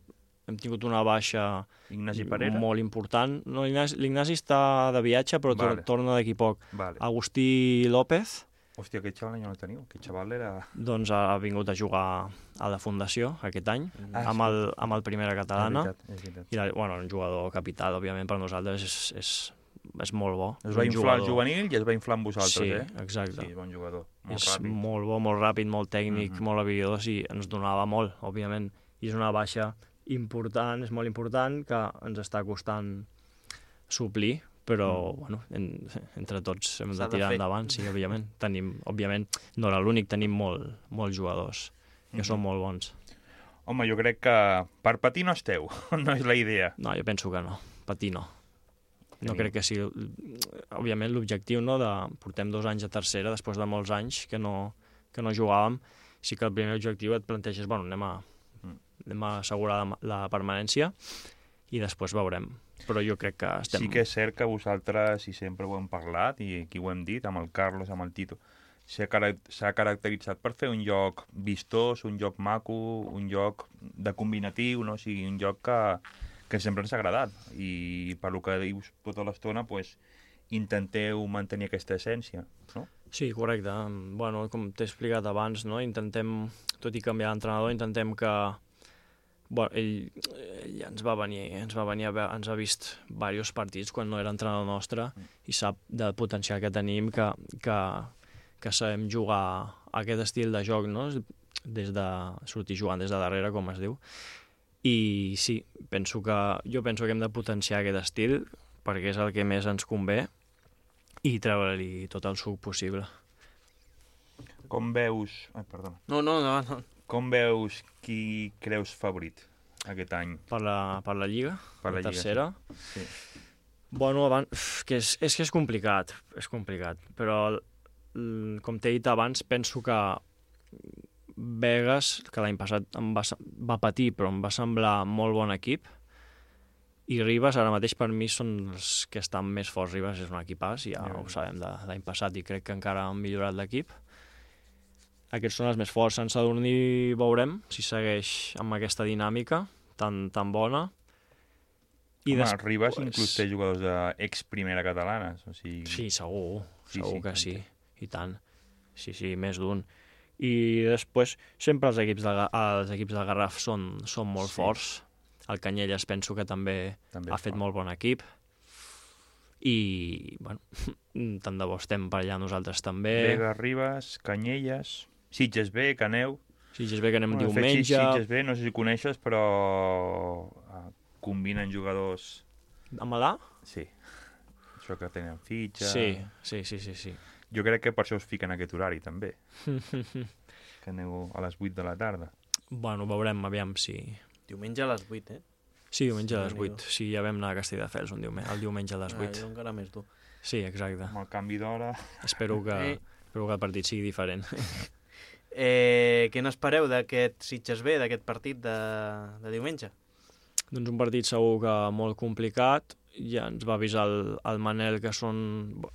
hem tingut una baixa Ignasi Parera? Molt important. No, l'Ignasi està de viatge, però vale. torna d'aquí poc. Vale. Agustí López. Hòstia, aquest xaval ja no el teniu, aquest xaval era... Doncs ha vingut a jugar a la Fundació aquest any, ah, amb, el, amb el Primera Catalana. És veritat, és veritat. I la, bueno, un jugador capital, òbviament, per nosaltres és, és, és molt bo. Es va inflar el juvenil i es va inflar amb vosaltres, sí, eh? Exacte. Sí, bon jugador, molt és ràpid. molt bo, molt ràpid, molt tècnic, mm-hmm. molt habilidós i ens donava molt, òbviament. I és una baixa important, és molt important, que ens està costant suplir, però, mm. bueno, en, entre tots hem de tirar de endavant, sí, òbviament. Tenim, òbviament, no era l'únic, tenim molt, molts jugadors, que mm-hmm. són molt bons. Home, jo crec que per patir no esteu, no és la idea. No, jo penso que no, patir no. No crec que sigui... Òbviament, l'objectiu, no?, de... Portem dos anys a tercera, després de molts anys que no, que no jugàvem, sí que el primer objectiu et planteges, bueno, anem a, anem a assegurar la, la permanència i després veurem. Però jo crec que estem... Sí que és cert que vosaltres, i sempre ho hem parlat, i aquí ho hem dit, amb el Carlos, amb el Tito, s'ha caracteritzat per fer un joc vistós, un joc maco, un joc de combinatiu, no? O sigui, un joc que, que sempre ens ha agradat. I per lo que dius tota l'estona, pues, intenteu mantenir aquesta essència, no? Sí, correcte. Bueno, com t'he explicat abans, no? Intentem, tot i canviar d'entrenador, intentem que... Bueno, ell, ell ens va venir, ens va venir a veure, ens ha vist diversos partits quan no era entrenador nostre i sap del potencial que tenim, que, que, que sabem jugar a aquest estil de joc, no? Des de sortir jugant des de darrere, com es diu. I sí, penso que, jo penso que hem de potenciar aquest estil perquè és el que més ens convé i treure-li tot el suc possible. Com veus... Ai, perdona. No, no, no, no. Com veus qui creus favorit aquest any? Per la, per la Lliga? Per la, la tercera? Lliga, sí. sí. Bueno, abans, que és, és que és complicat, és complicat, però com t'he dit abans, penso que Begues, que l'any passat em va, va patir, però em va semblar molt bon equip, i Ribes, ara mateix per mi són els que estan més forts. Ribes és un equipàs, ja ho sabem de l'any passat, i crec que encara han millorat l'equip. Aquests són els més forts. Sant Sadurní veurem si segueix amb aquesta dinàmica tan, tan bona. I Home, després... Ribes inclús té jugadors d'ex-primera catalana. O sigui... Sí, segur, sí, segur sí, que sí, i tant. Sí, sí, més d'un. I després, sempre els equips del, els equips del Garraf són, són molt sí. forts. El Canyelles penso que també, també ha fet fort. Molt bon equip. I, bueno, tant de bo estem per allà nosaltres també. Vega, Ribes, Canyelles... Sitges B, Caneu... Sitges B que anem bueno, diumenge... Sitges B, no sé si coneixes, però uh, combinen jugadors... Amb l'A? Sí. Això que tenen fitxa... Sí, sí, sí, sí, sí. Jo crec que per això us fiquen aquest horari, també. Que aneu a les vuit de la tarda. Bueno, veurem, aviam si... Diumenge a les vuit, eh? Sí, diumenge a les vuit. Sí, ja vam anar a Castelldefels un diumenge, el diumenge a les vuit. Ah, jo encara més dur. Sí, exacte. Amb el canvi d'hora... Espero que... Eh. Espero que el partit sigui diferent. eh, què n'espereu d'aquest Sitges B, d'aquest partit de, de diumenge? Doncs un partit segur que molt complicat. Ja ens va avisar el, el Manel, que són,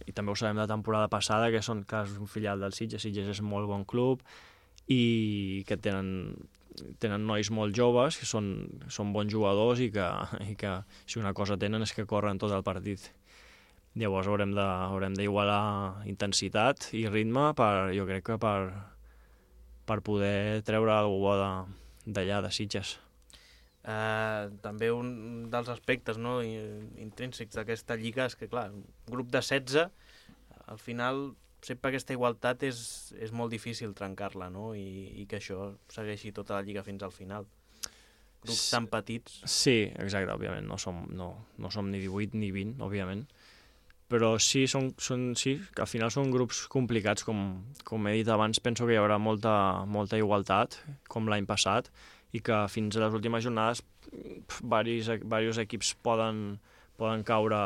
i també ho sabem de temporada passada, que són que és un filial del Sitges. Sitges és molt bon club i que tenen, tenen nois molt joves, que són, són bons jugadors i que, i que si una cosa tenen és que corren tot el partit. Llavors haurem de, haurem d'igualar intensitat i ritme per, jo crec que per, per poder treure alguna cosa d'allà, de Sitges. Uh, també un dels aspectes, no, intrínsecs d'aquesta lliga és que, clar, un grup de setze, al final sempre aquesta igualtat és, és molt difícil trencar-la, no? I, i que això segueixi tota la lliga fins al final. grups tan petits. Sí, exacte, òbviament, no som, no, no som ni divuit ni vint, òbviament, però sí, són, són, sí, que al final són grups complicats, com, com he dit abans, penso que hi haurà molta, molta igualtat, com l'any passat, i que fins a les últimes jornades varis, varis equips poden, poden caure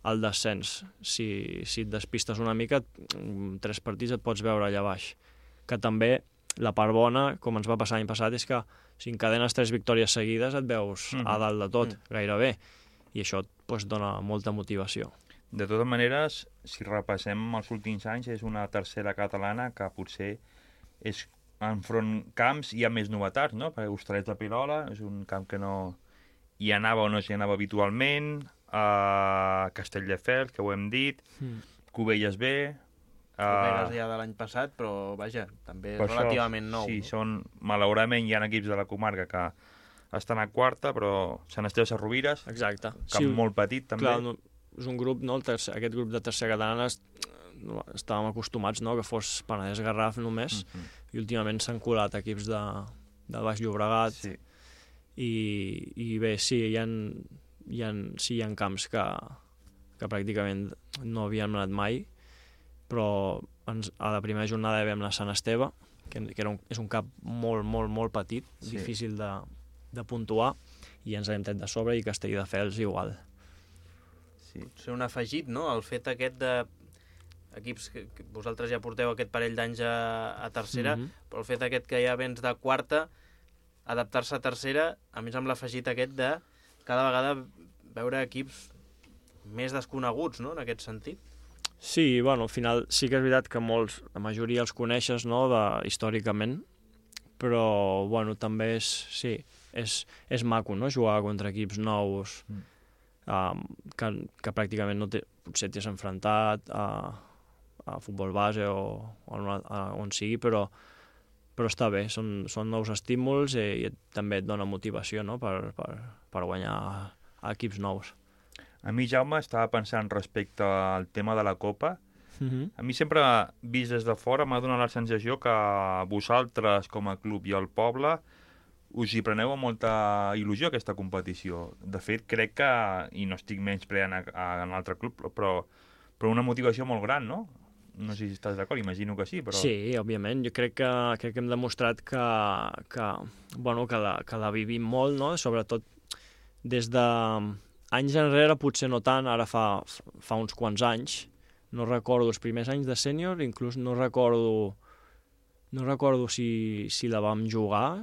al descens. Si, si et despistes una mica, en tres partits et pots veure allà baix. Que també la part bona, com ens va passar l'any passat, és que si encadenes tres victòries seguides et veus mm-hmm. a dalt de tot, mm. gairebé, i això doncs, dona molta motivació. De totes maneres, si repassem els últims anys, és una tercera catalana que potser és enfront camps hi ha més novetats, no? Perquè Hostalets de Pilola és un camp que no hi anava o no s'hi anava habitualment, a Castelldefels, que ho hem dit, mm. Cubelles B... Cubelles ja de l'any passat, però vaja, també és relativament nou. Sí, no? són, malauradament hi ha equips de la comarca que estan a quarta, però Sant Esteve Sesrovires, exacte. Camp sí, molt petit també. Clar, no, és un grup, no? El tercer, aquest grup de tercera catalana no, estàvem acostumats, no? Que fos Penedès Garraf només, mm-hmm. i últimament s'han colat equips de, de Baix Llobregat, sí. i, i bé, sí, hi ha, hi ha, sí, hi ha camps que, que pràcticament no havíem anat mai, però ens, a la primera jornada vam anar a Sant Esteve, que, que era un, és un camp molt, molt, molt petit, sí. difícil de, de puntuar, i ens hem tret de sobre, i Castelldefels igual. Sí. Ser un afegit, no?, el fet aquest de equips que, que vosaltres ja porteu aquest parell d'anys a, a tercera, mm-hmm. però el fet aquest que ja vens de quarta, adaptar-se a tercera, a més amb l'afegit aquest de cada vegada veure equips més desconeguts, no?, en aquest sentit. Sí, bueno, al final sí que és veritat que molts, la majoria els coneixes, no?, de, històricament, però, bueno, també és, sí, és, és maco, no?, jugar contra equips nous, mm. um, que, que pràcticament no té, potser t'has enfrontat a, a futbol base o, o a, a, on sigui, però, però està bé, són, són nous estímuls i, i també et dona motivació, no?, per, per, per guanyar a equips nous. A mi, Jaume, estava pensant respecte al tema de la Copa. Mm-hmm. A mi sempre, vist des de fora, m'ha donat la sensació que vosaltres, com a club i el poble, us hi preneu amb molta il·lusió aquesta competició. De fet, crec que, i no estic menyspreant a, a, a un altre club, però, però una motivació molt gran, no? No sé si estàs d'acord, imagino que sí, però... Sí, òbviament. Jo crec que, crec que hem demostrat que, que, bueno, que, la, que la vivim molt, no? Sobretot des de... Anys enrere potser no tant, ara fa, fa uns quants anys. No recordo els primers anys de sènior, inclús no recordo, no recordo si, si la vam jugar,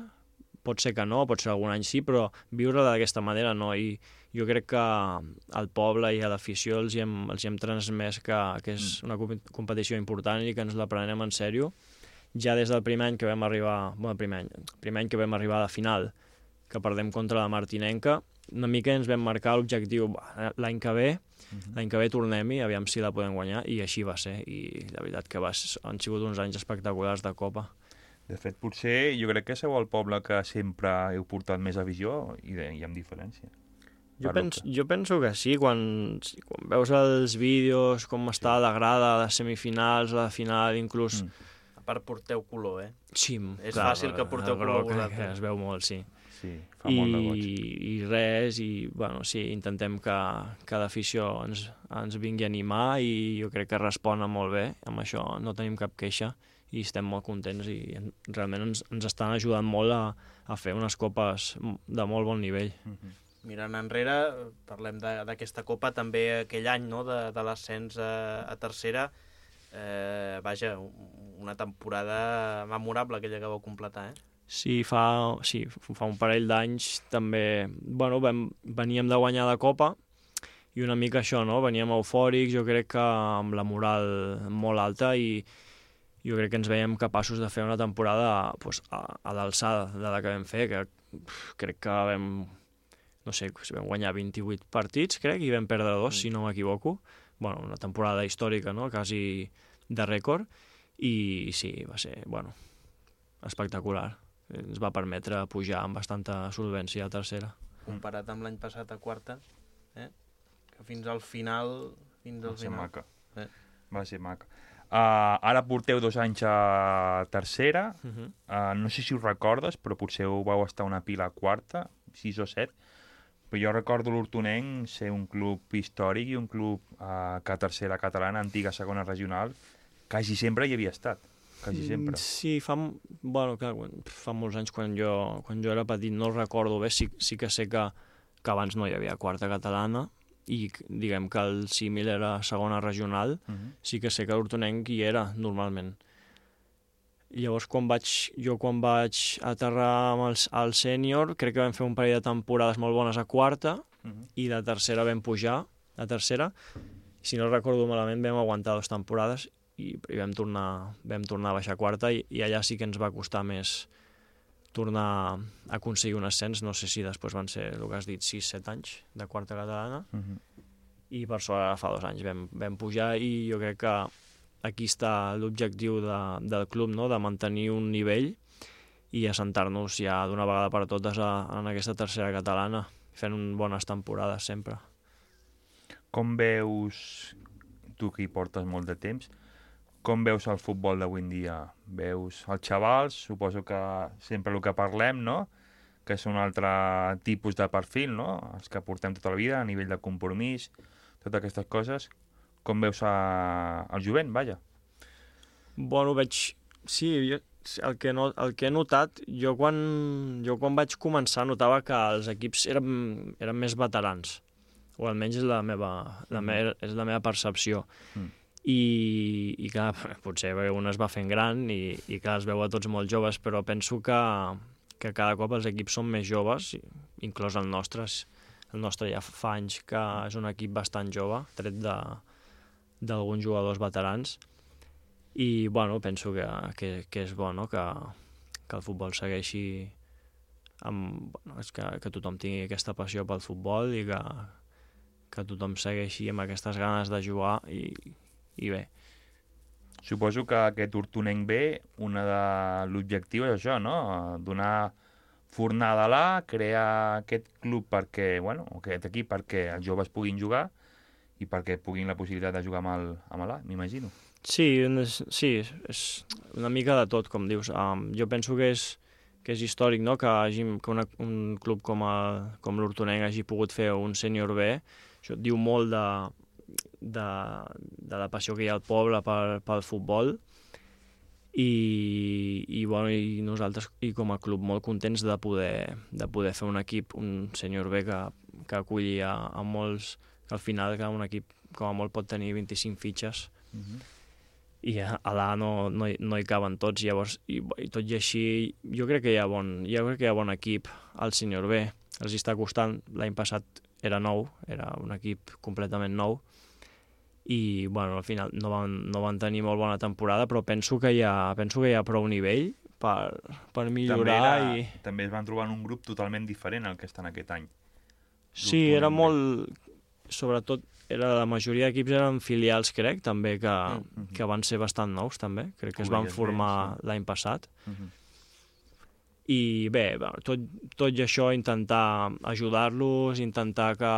pot ser que no, pot ser algun any sí, però viure d'aquesta manera no, i jo crec que al poble i a l'afició els, els hi hem transmès que, que és una competició important i que ens la prenem en sèrio. Ja des del primer any que vam arribar, bueno, primer any, primer any que vam arribar a la final, que perdem contra la Martinenca, una mica ens vam marcar l'objectiu l'any que ve, uh-huh. l'any que ve tornem-hi, aviam si la podem guanyar, i així va ser, i la veritat que va, han sigut uns anys espectaculars de Copa. De fet, potser jo crec que sou el poble que sempre heu portat més avisió, i, de, i amb diferència. Jo, pens, jo penso que sí, quan, quan veus els vídeos, com està la grada, les semifinals, la final, inclús... Mm. A part porteu color, eh? Sí, és clar, fàcil que porteu color que, que es veu molt, sí. Sí, fa I, molt de goig. I res, i bueno, sí, intentem que, que l'afició ens, ens vingui a animar, i jo crec que respon molt bé amb això, no tenim cap queixa i estem molt contents, i realment ens, ens estan ajudant molt a, a fer unes copes de molt bon nivell. Mm-hmm. Mirant enrere, parlem d'aquesta copa, també aquell any, no?, de, de l'ascens a, a tercera, eh, vaja, una temporada memorable aquella que vau completar, eh? Sí, fa, sí, fa un parell d'anys també, bueno, vam, veníem de guanyar la Copa i una mica això, no? Veníem eufòrics, jo crec que amb la moral molt alta, i jo crec que ens veiem capaços de fer una temporada pues, a, a l'alçada de la que vam fer, que pff, crec que vam, no sé, vam guanyar vint-i-vuit partits, crec, i vam perdre dos, mm. si no m'equivoco. Bueno, una temporada històrica, no?, quasi de rècord, i sí, va ser, bueno, espectacular. Ens va permetre pujar amb bastanta solvència a tercera. Comparat amb l'any passat a quarta, eh? Que fins al final... Fins al va ser final. maca. Eh? Va ser maca. Uh, ara porteu dos anys a tercera, Uh -huh. uh, no sé si us recordes, però potser ho vau estar una pila a quarta, sis o set, però jo recordo l'Hortonenc ser un club històric i un club uh, que a tercera catalana, antiga segona regional, quasi sempre hi havia estat, quasi sempre. Sí, fa, bueno, clar, fa molts anys quan jo, quan jo era petit, no el recordo bé, sí, sí que sé que, que abans no hi havia quarta catalana, i diguem que el símil era segona regional, Uh -huh. sí que sé que l'Hortonenc hi era normalment. I llavors quan vaig, jo quan vaig aterrar amb el, al sènior, crec que vam fer un parell de temporades molt bones a quarta, Uh -huh. i de tercera vam pujar, a tercera, si no recordo malament vam aguantar dues temporades i, i vam, tornar, vam tornar a baixar a quarta, i, i allà sí que ens va costar més tornar a aconseguir un ascens. No sé si després van ser, el que has dit, sis set anys de quarta catalana, Uh -huh. i per sort ara fa dos anys vam, vam pujar, i jo crec que aquí està l'objectiu de, del club, no? De mantenir un nivell i assentar-nos ja d'una vegada per totes a, en aquesta tercera catalana, fent bones temporades sempre. Com veus, tu que hi portes molt de temps, com veus el futbol d'avui en dia? Veus els xavals, suposo que sempre el que parlem, no? Que és un altre tipus de perfil, no? Els que portem tota la vida, a nivell de compromís, totes aquestes coses. Com veus a... el jovent, vaja? Bueno, veig... Sí, jo, el, que no, el que he notat, jo quan, jo quan vaig començar notava que els equips eren, eren més veterans, o almenys és la meva, la me, és la meva percepció. Mm. I, i clar, potser un es va fent gran i, i clar, es veu a tots molt joves, però penso que, que cada cop els equips són més joves, inclòs el nostre. El nostre ja fa anys que és un equip bastant jove, tret d'alguns jugadors veterans, i bueno, penso que, que, que és bo, no? que, que el futbol segueixi amb, bueno, és que, que tothom tingui aquesta passió pel futbol i que, que tothom segueixi amb aquestes ganes de jugar, i, i bé. Suposo que aquest Hortonenc B, una de l'objectiu és això, no? Donar fornada a l'A, crear aquest club perquè, bueno, aquest equip perquè els joves puguin jugar i perquè puguin la possibilitat de jugar amb l'A, m'imagino. Sí, és, sí, és una mica de tot, com dius. Um, jo penso que és, que és històric, no? que, hagi, que una, un club com, a, com l'Hortonenc hagi pogut fer un sènior B. Això diu molt de, de, de la passió que hi ha al poble pel, pel futbol, i, i, bueno, i nosaltres i com a club molt contents de poder, de poder fer un equip, un sènior B que, que aculli a, a molts, que al final que un equip com a molt pot tenir vint-i-cinc fitxes. Uh-huh. I a, a l'A no, no, hi, no hi caben tots, llavors, i, i tot i així, jo crec que hi ha bon, jo crec que hi ha bon equip al sènior B. Els està costant, l'any passat era nou, era un equip completament nou, i bueno, al final no van, no van tenir molt bona temporada, però penso que hi ha, penso que hi ha prou nivell per, per millorar. També, era, i... també es van trobar en un grup totalment diferent al que estan aquest any. Sí, era molt... Sobretot, era, la majoria d'equips eren filials, crec, també, que, uh-huh. que van ser bastant nous, també. Crec que es van formar l'any passat. Uh-huh. I bé, tot, tot i això, intentar ajudar-los, intentar que,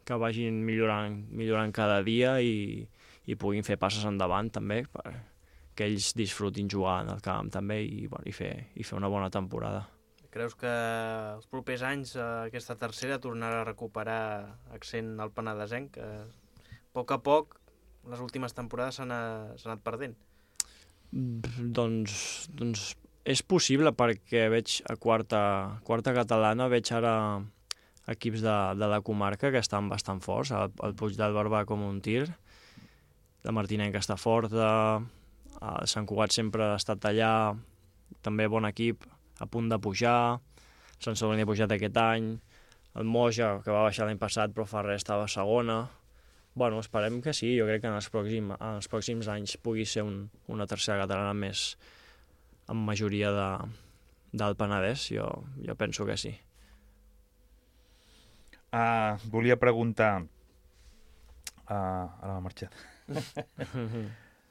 que vagin millorant, millorant cada dia i, i puguin fer passes endavant, també, que ells disfrutin jugar en el camp, també, i, bueno, i, fer, i fer una bona temporada. Creus que els propers anys aquesta tercera tornarà a recuperar accent al penedesenc? Que a poc a poc, les últimes temporades s'han anat perdent. Doncs, doncs és possible, perquè veig a quarta, quarta catalana, veig ara equips de, de la comarca que estan bastant forts, el, el Puig del Barba com un tir, la Martinenca està forta, el Sant Cugat sempre ha estat allà, també bon equip, a punt de pujar, Sant Sadurní ha pujat aquest any, el Moja, que va baixar l'any passat, però fa res, estava a segona. Bueno, esperem que sí, jo crec que en els pròxims, en els pròxims anys pugui ser un, una tercera catalana més amb majoria de, del Penedès, jo, jo penso que sí. Uh, volia preguntar... Uh, ara m'ha marxat.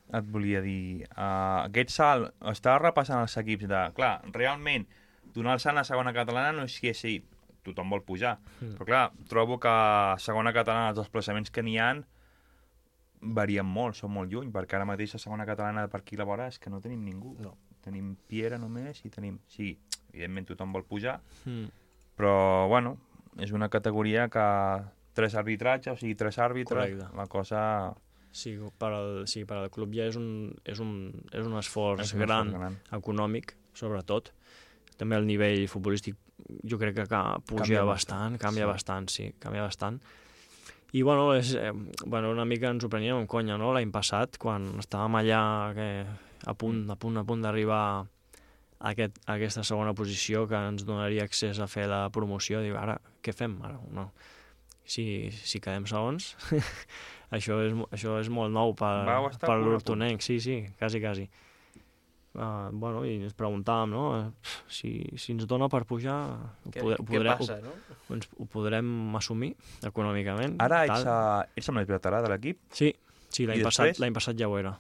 Et volia dir... Uh, aquest salt, estava repassant els equips de... Clar, realment, donar el salt a la segona catalana no és que sí, tothom vol pujar. Mm. Però clar, trobo que a segona catalana els desplaçaments que n'hi ha varien molt, són molt lluny, perquè ara mateix la segona catalana per aquí a la vora és que no tenim ningú. No. Tenim Piera només i tenim... Sí, evidentment tothom vol pujar, Mm. però, bueno, és una categoria que tres arbitratges, o sigui, tres àrbitres, Correcte. la cosa... Sí, per al, sí, per al club ja és un, és un, és un esforç És un gran, esforç gran. econòmic, sobretot. També el nivell futbolístic jo crec que ca- puja Canvia bastant, bastant, canvia sí. bastant, sí, canvia bastant. I, bueno, és, eh, bueno, una mica ens ho preníem en conya, no?, l'any passat, quan estàvem allà que, a punt, a punt, a punt d'arribar a, aquest, a aquesta segona posició que ens donaria accés a fer la promoció. Diu, ara, què fem? Ara, no. Si, si quedem segons, això, és, això és molt nou per, Vau estar per a punt, a punt. l'Hortonenc, sí, sí, quasi, quasi. Uh, bueno, i ens preguntàvem, no?, si, si ens dona per pujar, ho, Què- poder, què podrem, passa, ho, no? ens, ho podrem assumir econòmicament. Ara tal. ets, a, ets amb el veterà de l'equip? Sí, sí, l'any I passat, després? l'any passat ja ho era.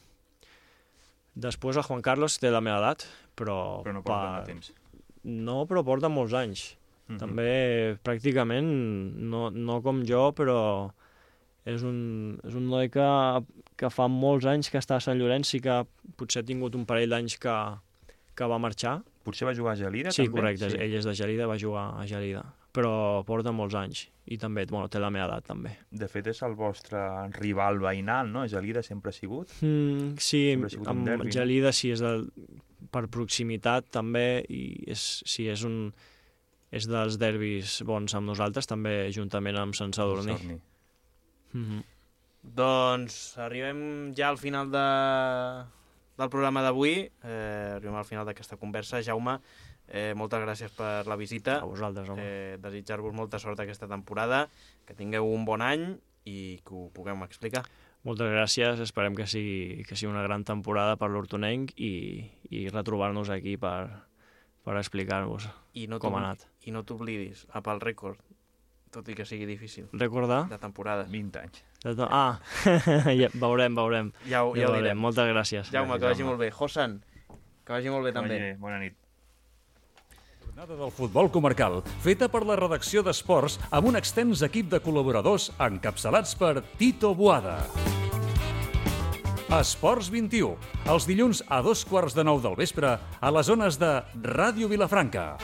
Després el Juan Carlos té la meva edat, però... Però no porta molt temps. No, però porta molts anys. Mhm. També, pràcticament, no, no com jo, però és un, és un noi que, que fa molts anys que està a Sant Llorenç i que potser ha tingut un parell d'anys que, que va marxar. Potser va jugar a Gelida, Sí, també? correcte, Sí. ell és de Gelida, va jugar a Gelida, però porta molts anys i també, bueno, té la meva edat també. De fet, és el vostre rival veïnal, no? Gelida sempre ha sigut? Mm, sí, Sempre ha sigut un amb derbi, no? Gelida sí, és del, per proximitat també, i és, sí, és un és dels derbis bons amb nosaltres, també juntament amb Sant Sadurní. Sadurní. Mhm. Doncs arribem ja al final de, del programa d'avui, eh, arribem al final d'aquesta conversa. Jaume, eh, moltes gràcies per la visita. A vosaltres, home. Eh, desitjar-vos molta sort aquesta temporada, que tingueu un bon any i que ho puguem explicar. Moltes gràcies, esperem que sigui, que sigui una gran temporada per l'Hortonenc i, i retrobar-nos aquí per, per explicar-vos I no com ha t'obli- anat. I no t'oblidis, a pel rècord, tot i que sigui difícil. Recordar? De temporada. vint anys. De to- Ah, ja, veurem, veurem. Ja ho, ja ho veurem. direm. Moltes gràcies. Jaume, que vagi molt bé. Josan, que vagi molt bé Que també. vagi bé. Bona nit. Jornada del futbol comarcal, feta per la redacció d'Esports amb un extens equip de col·laboradors encapçalats per Tito Boada. Esports vint-i-u, els dilluns a dos quarts de nou del vespre a les zones de Ràdio Vilafranca.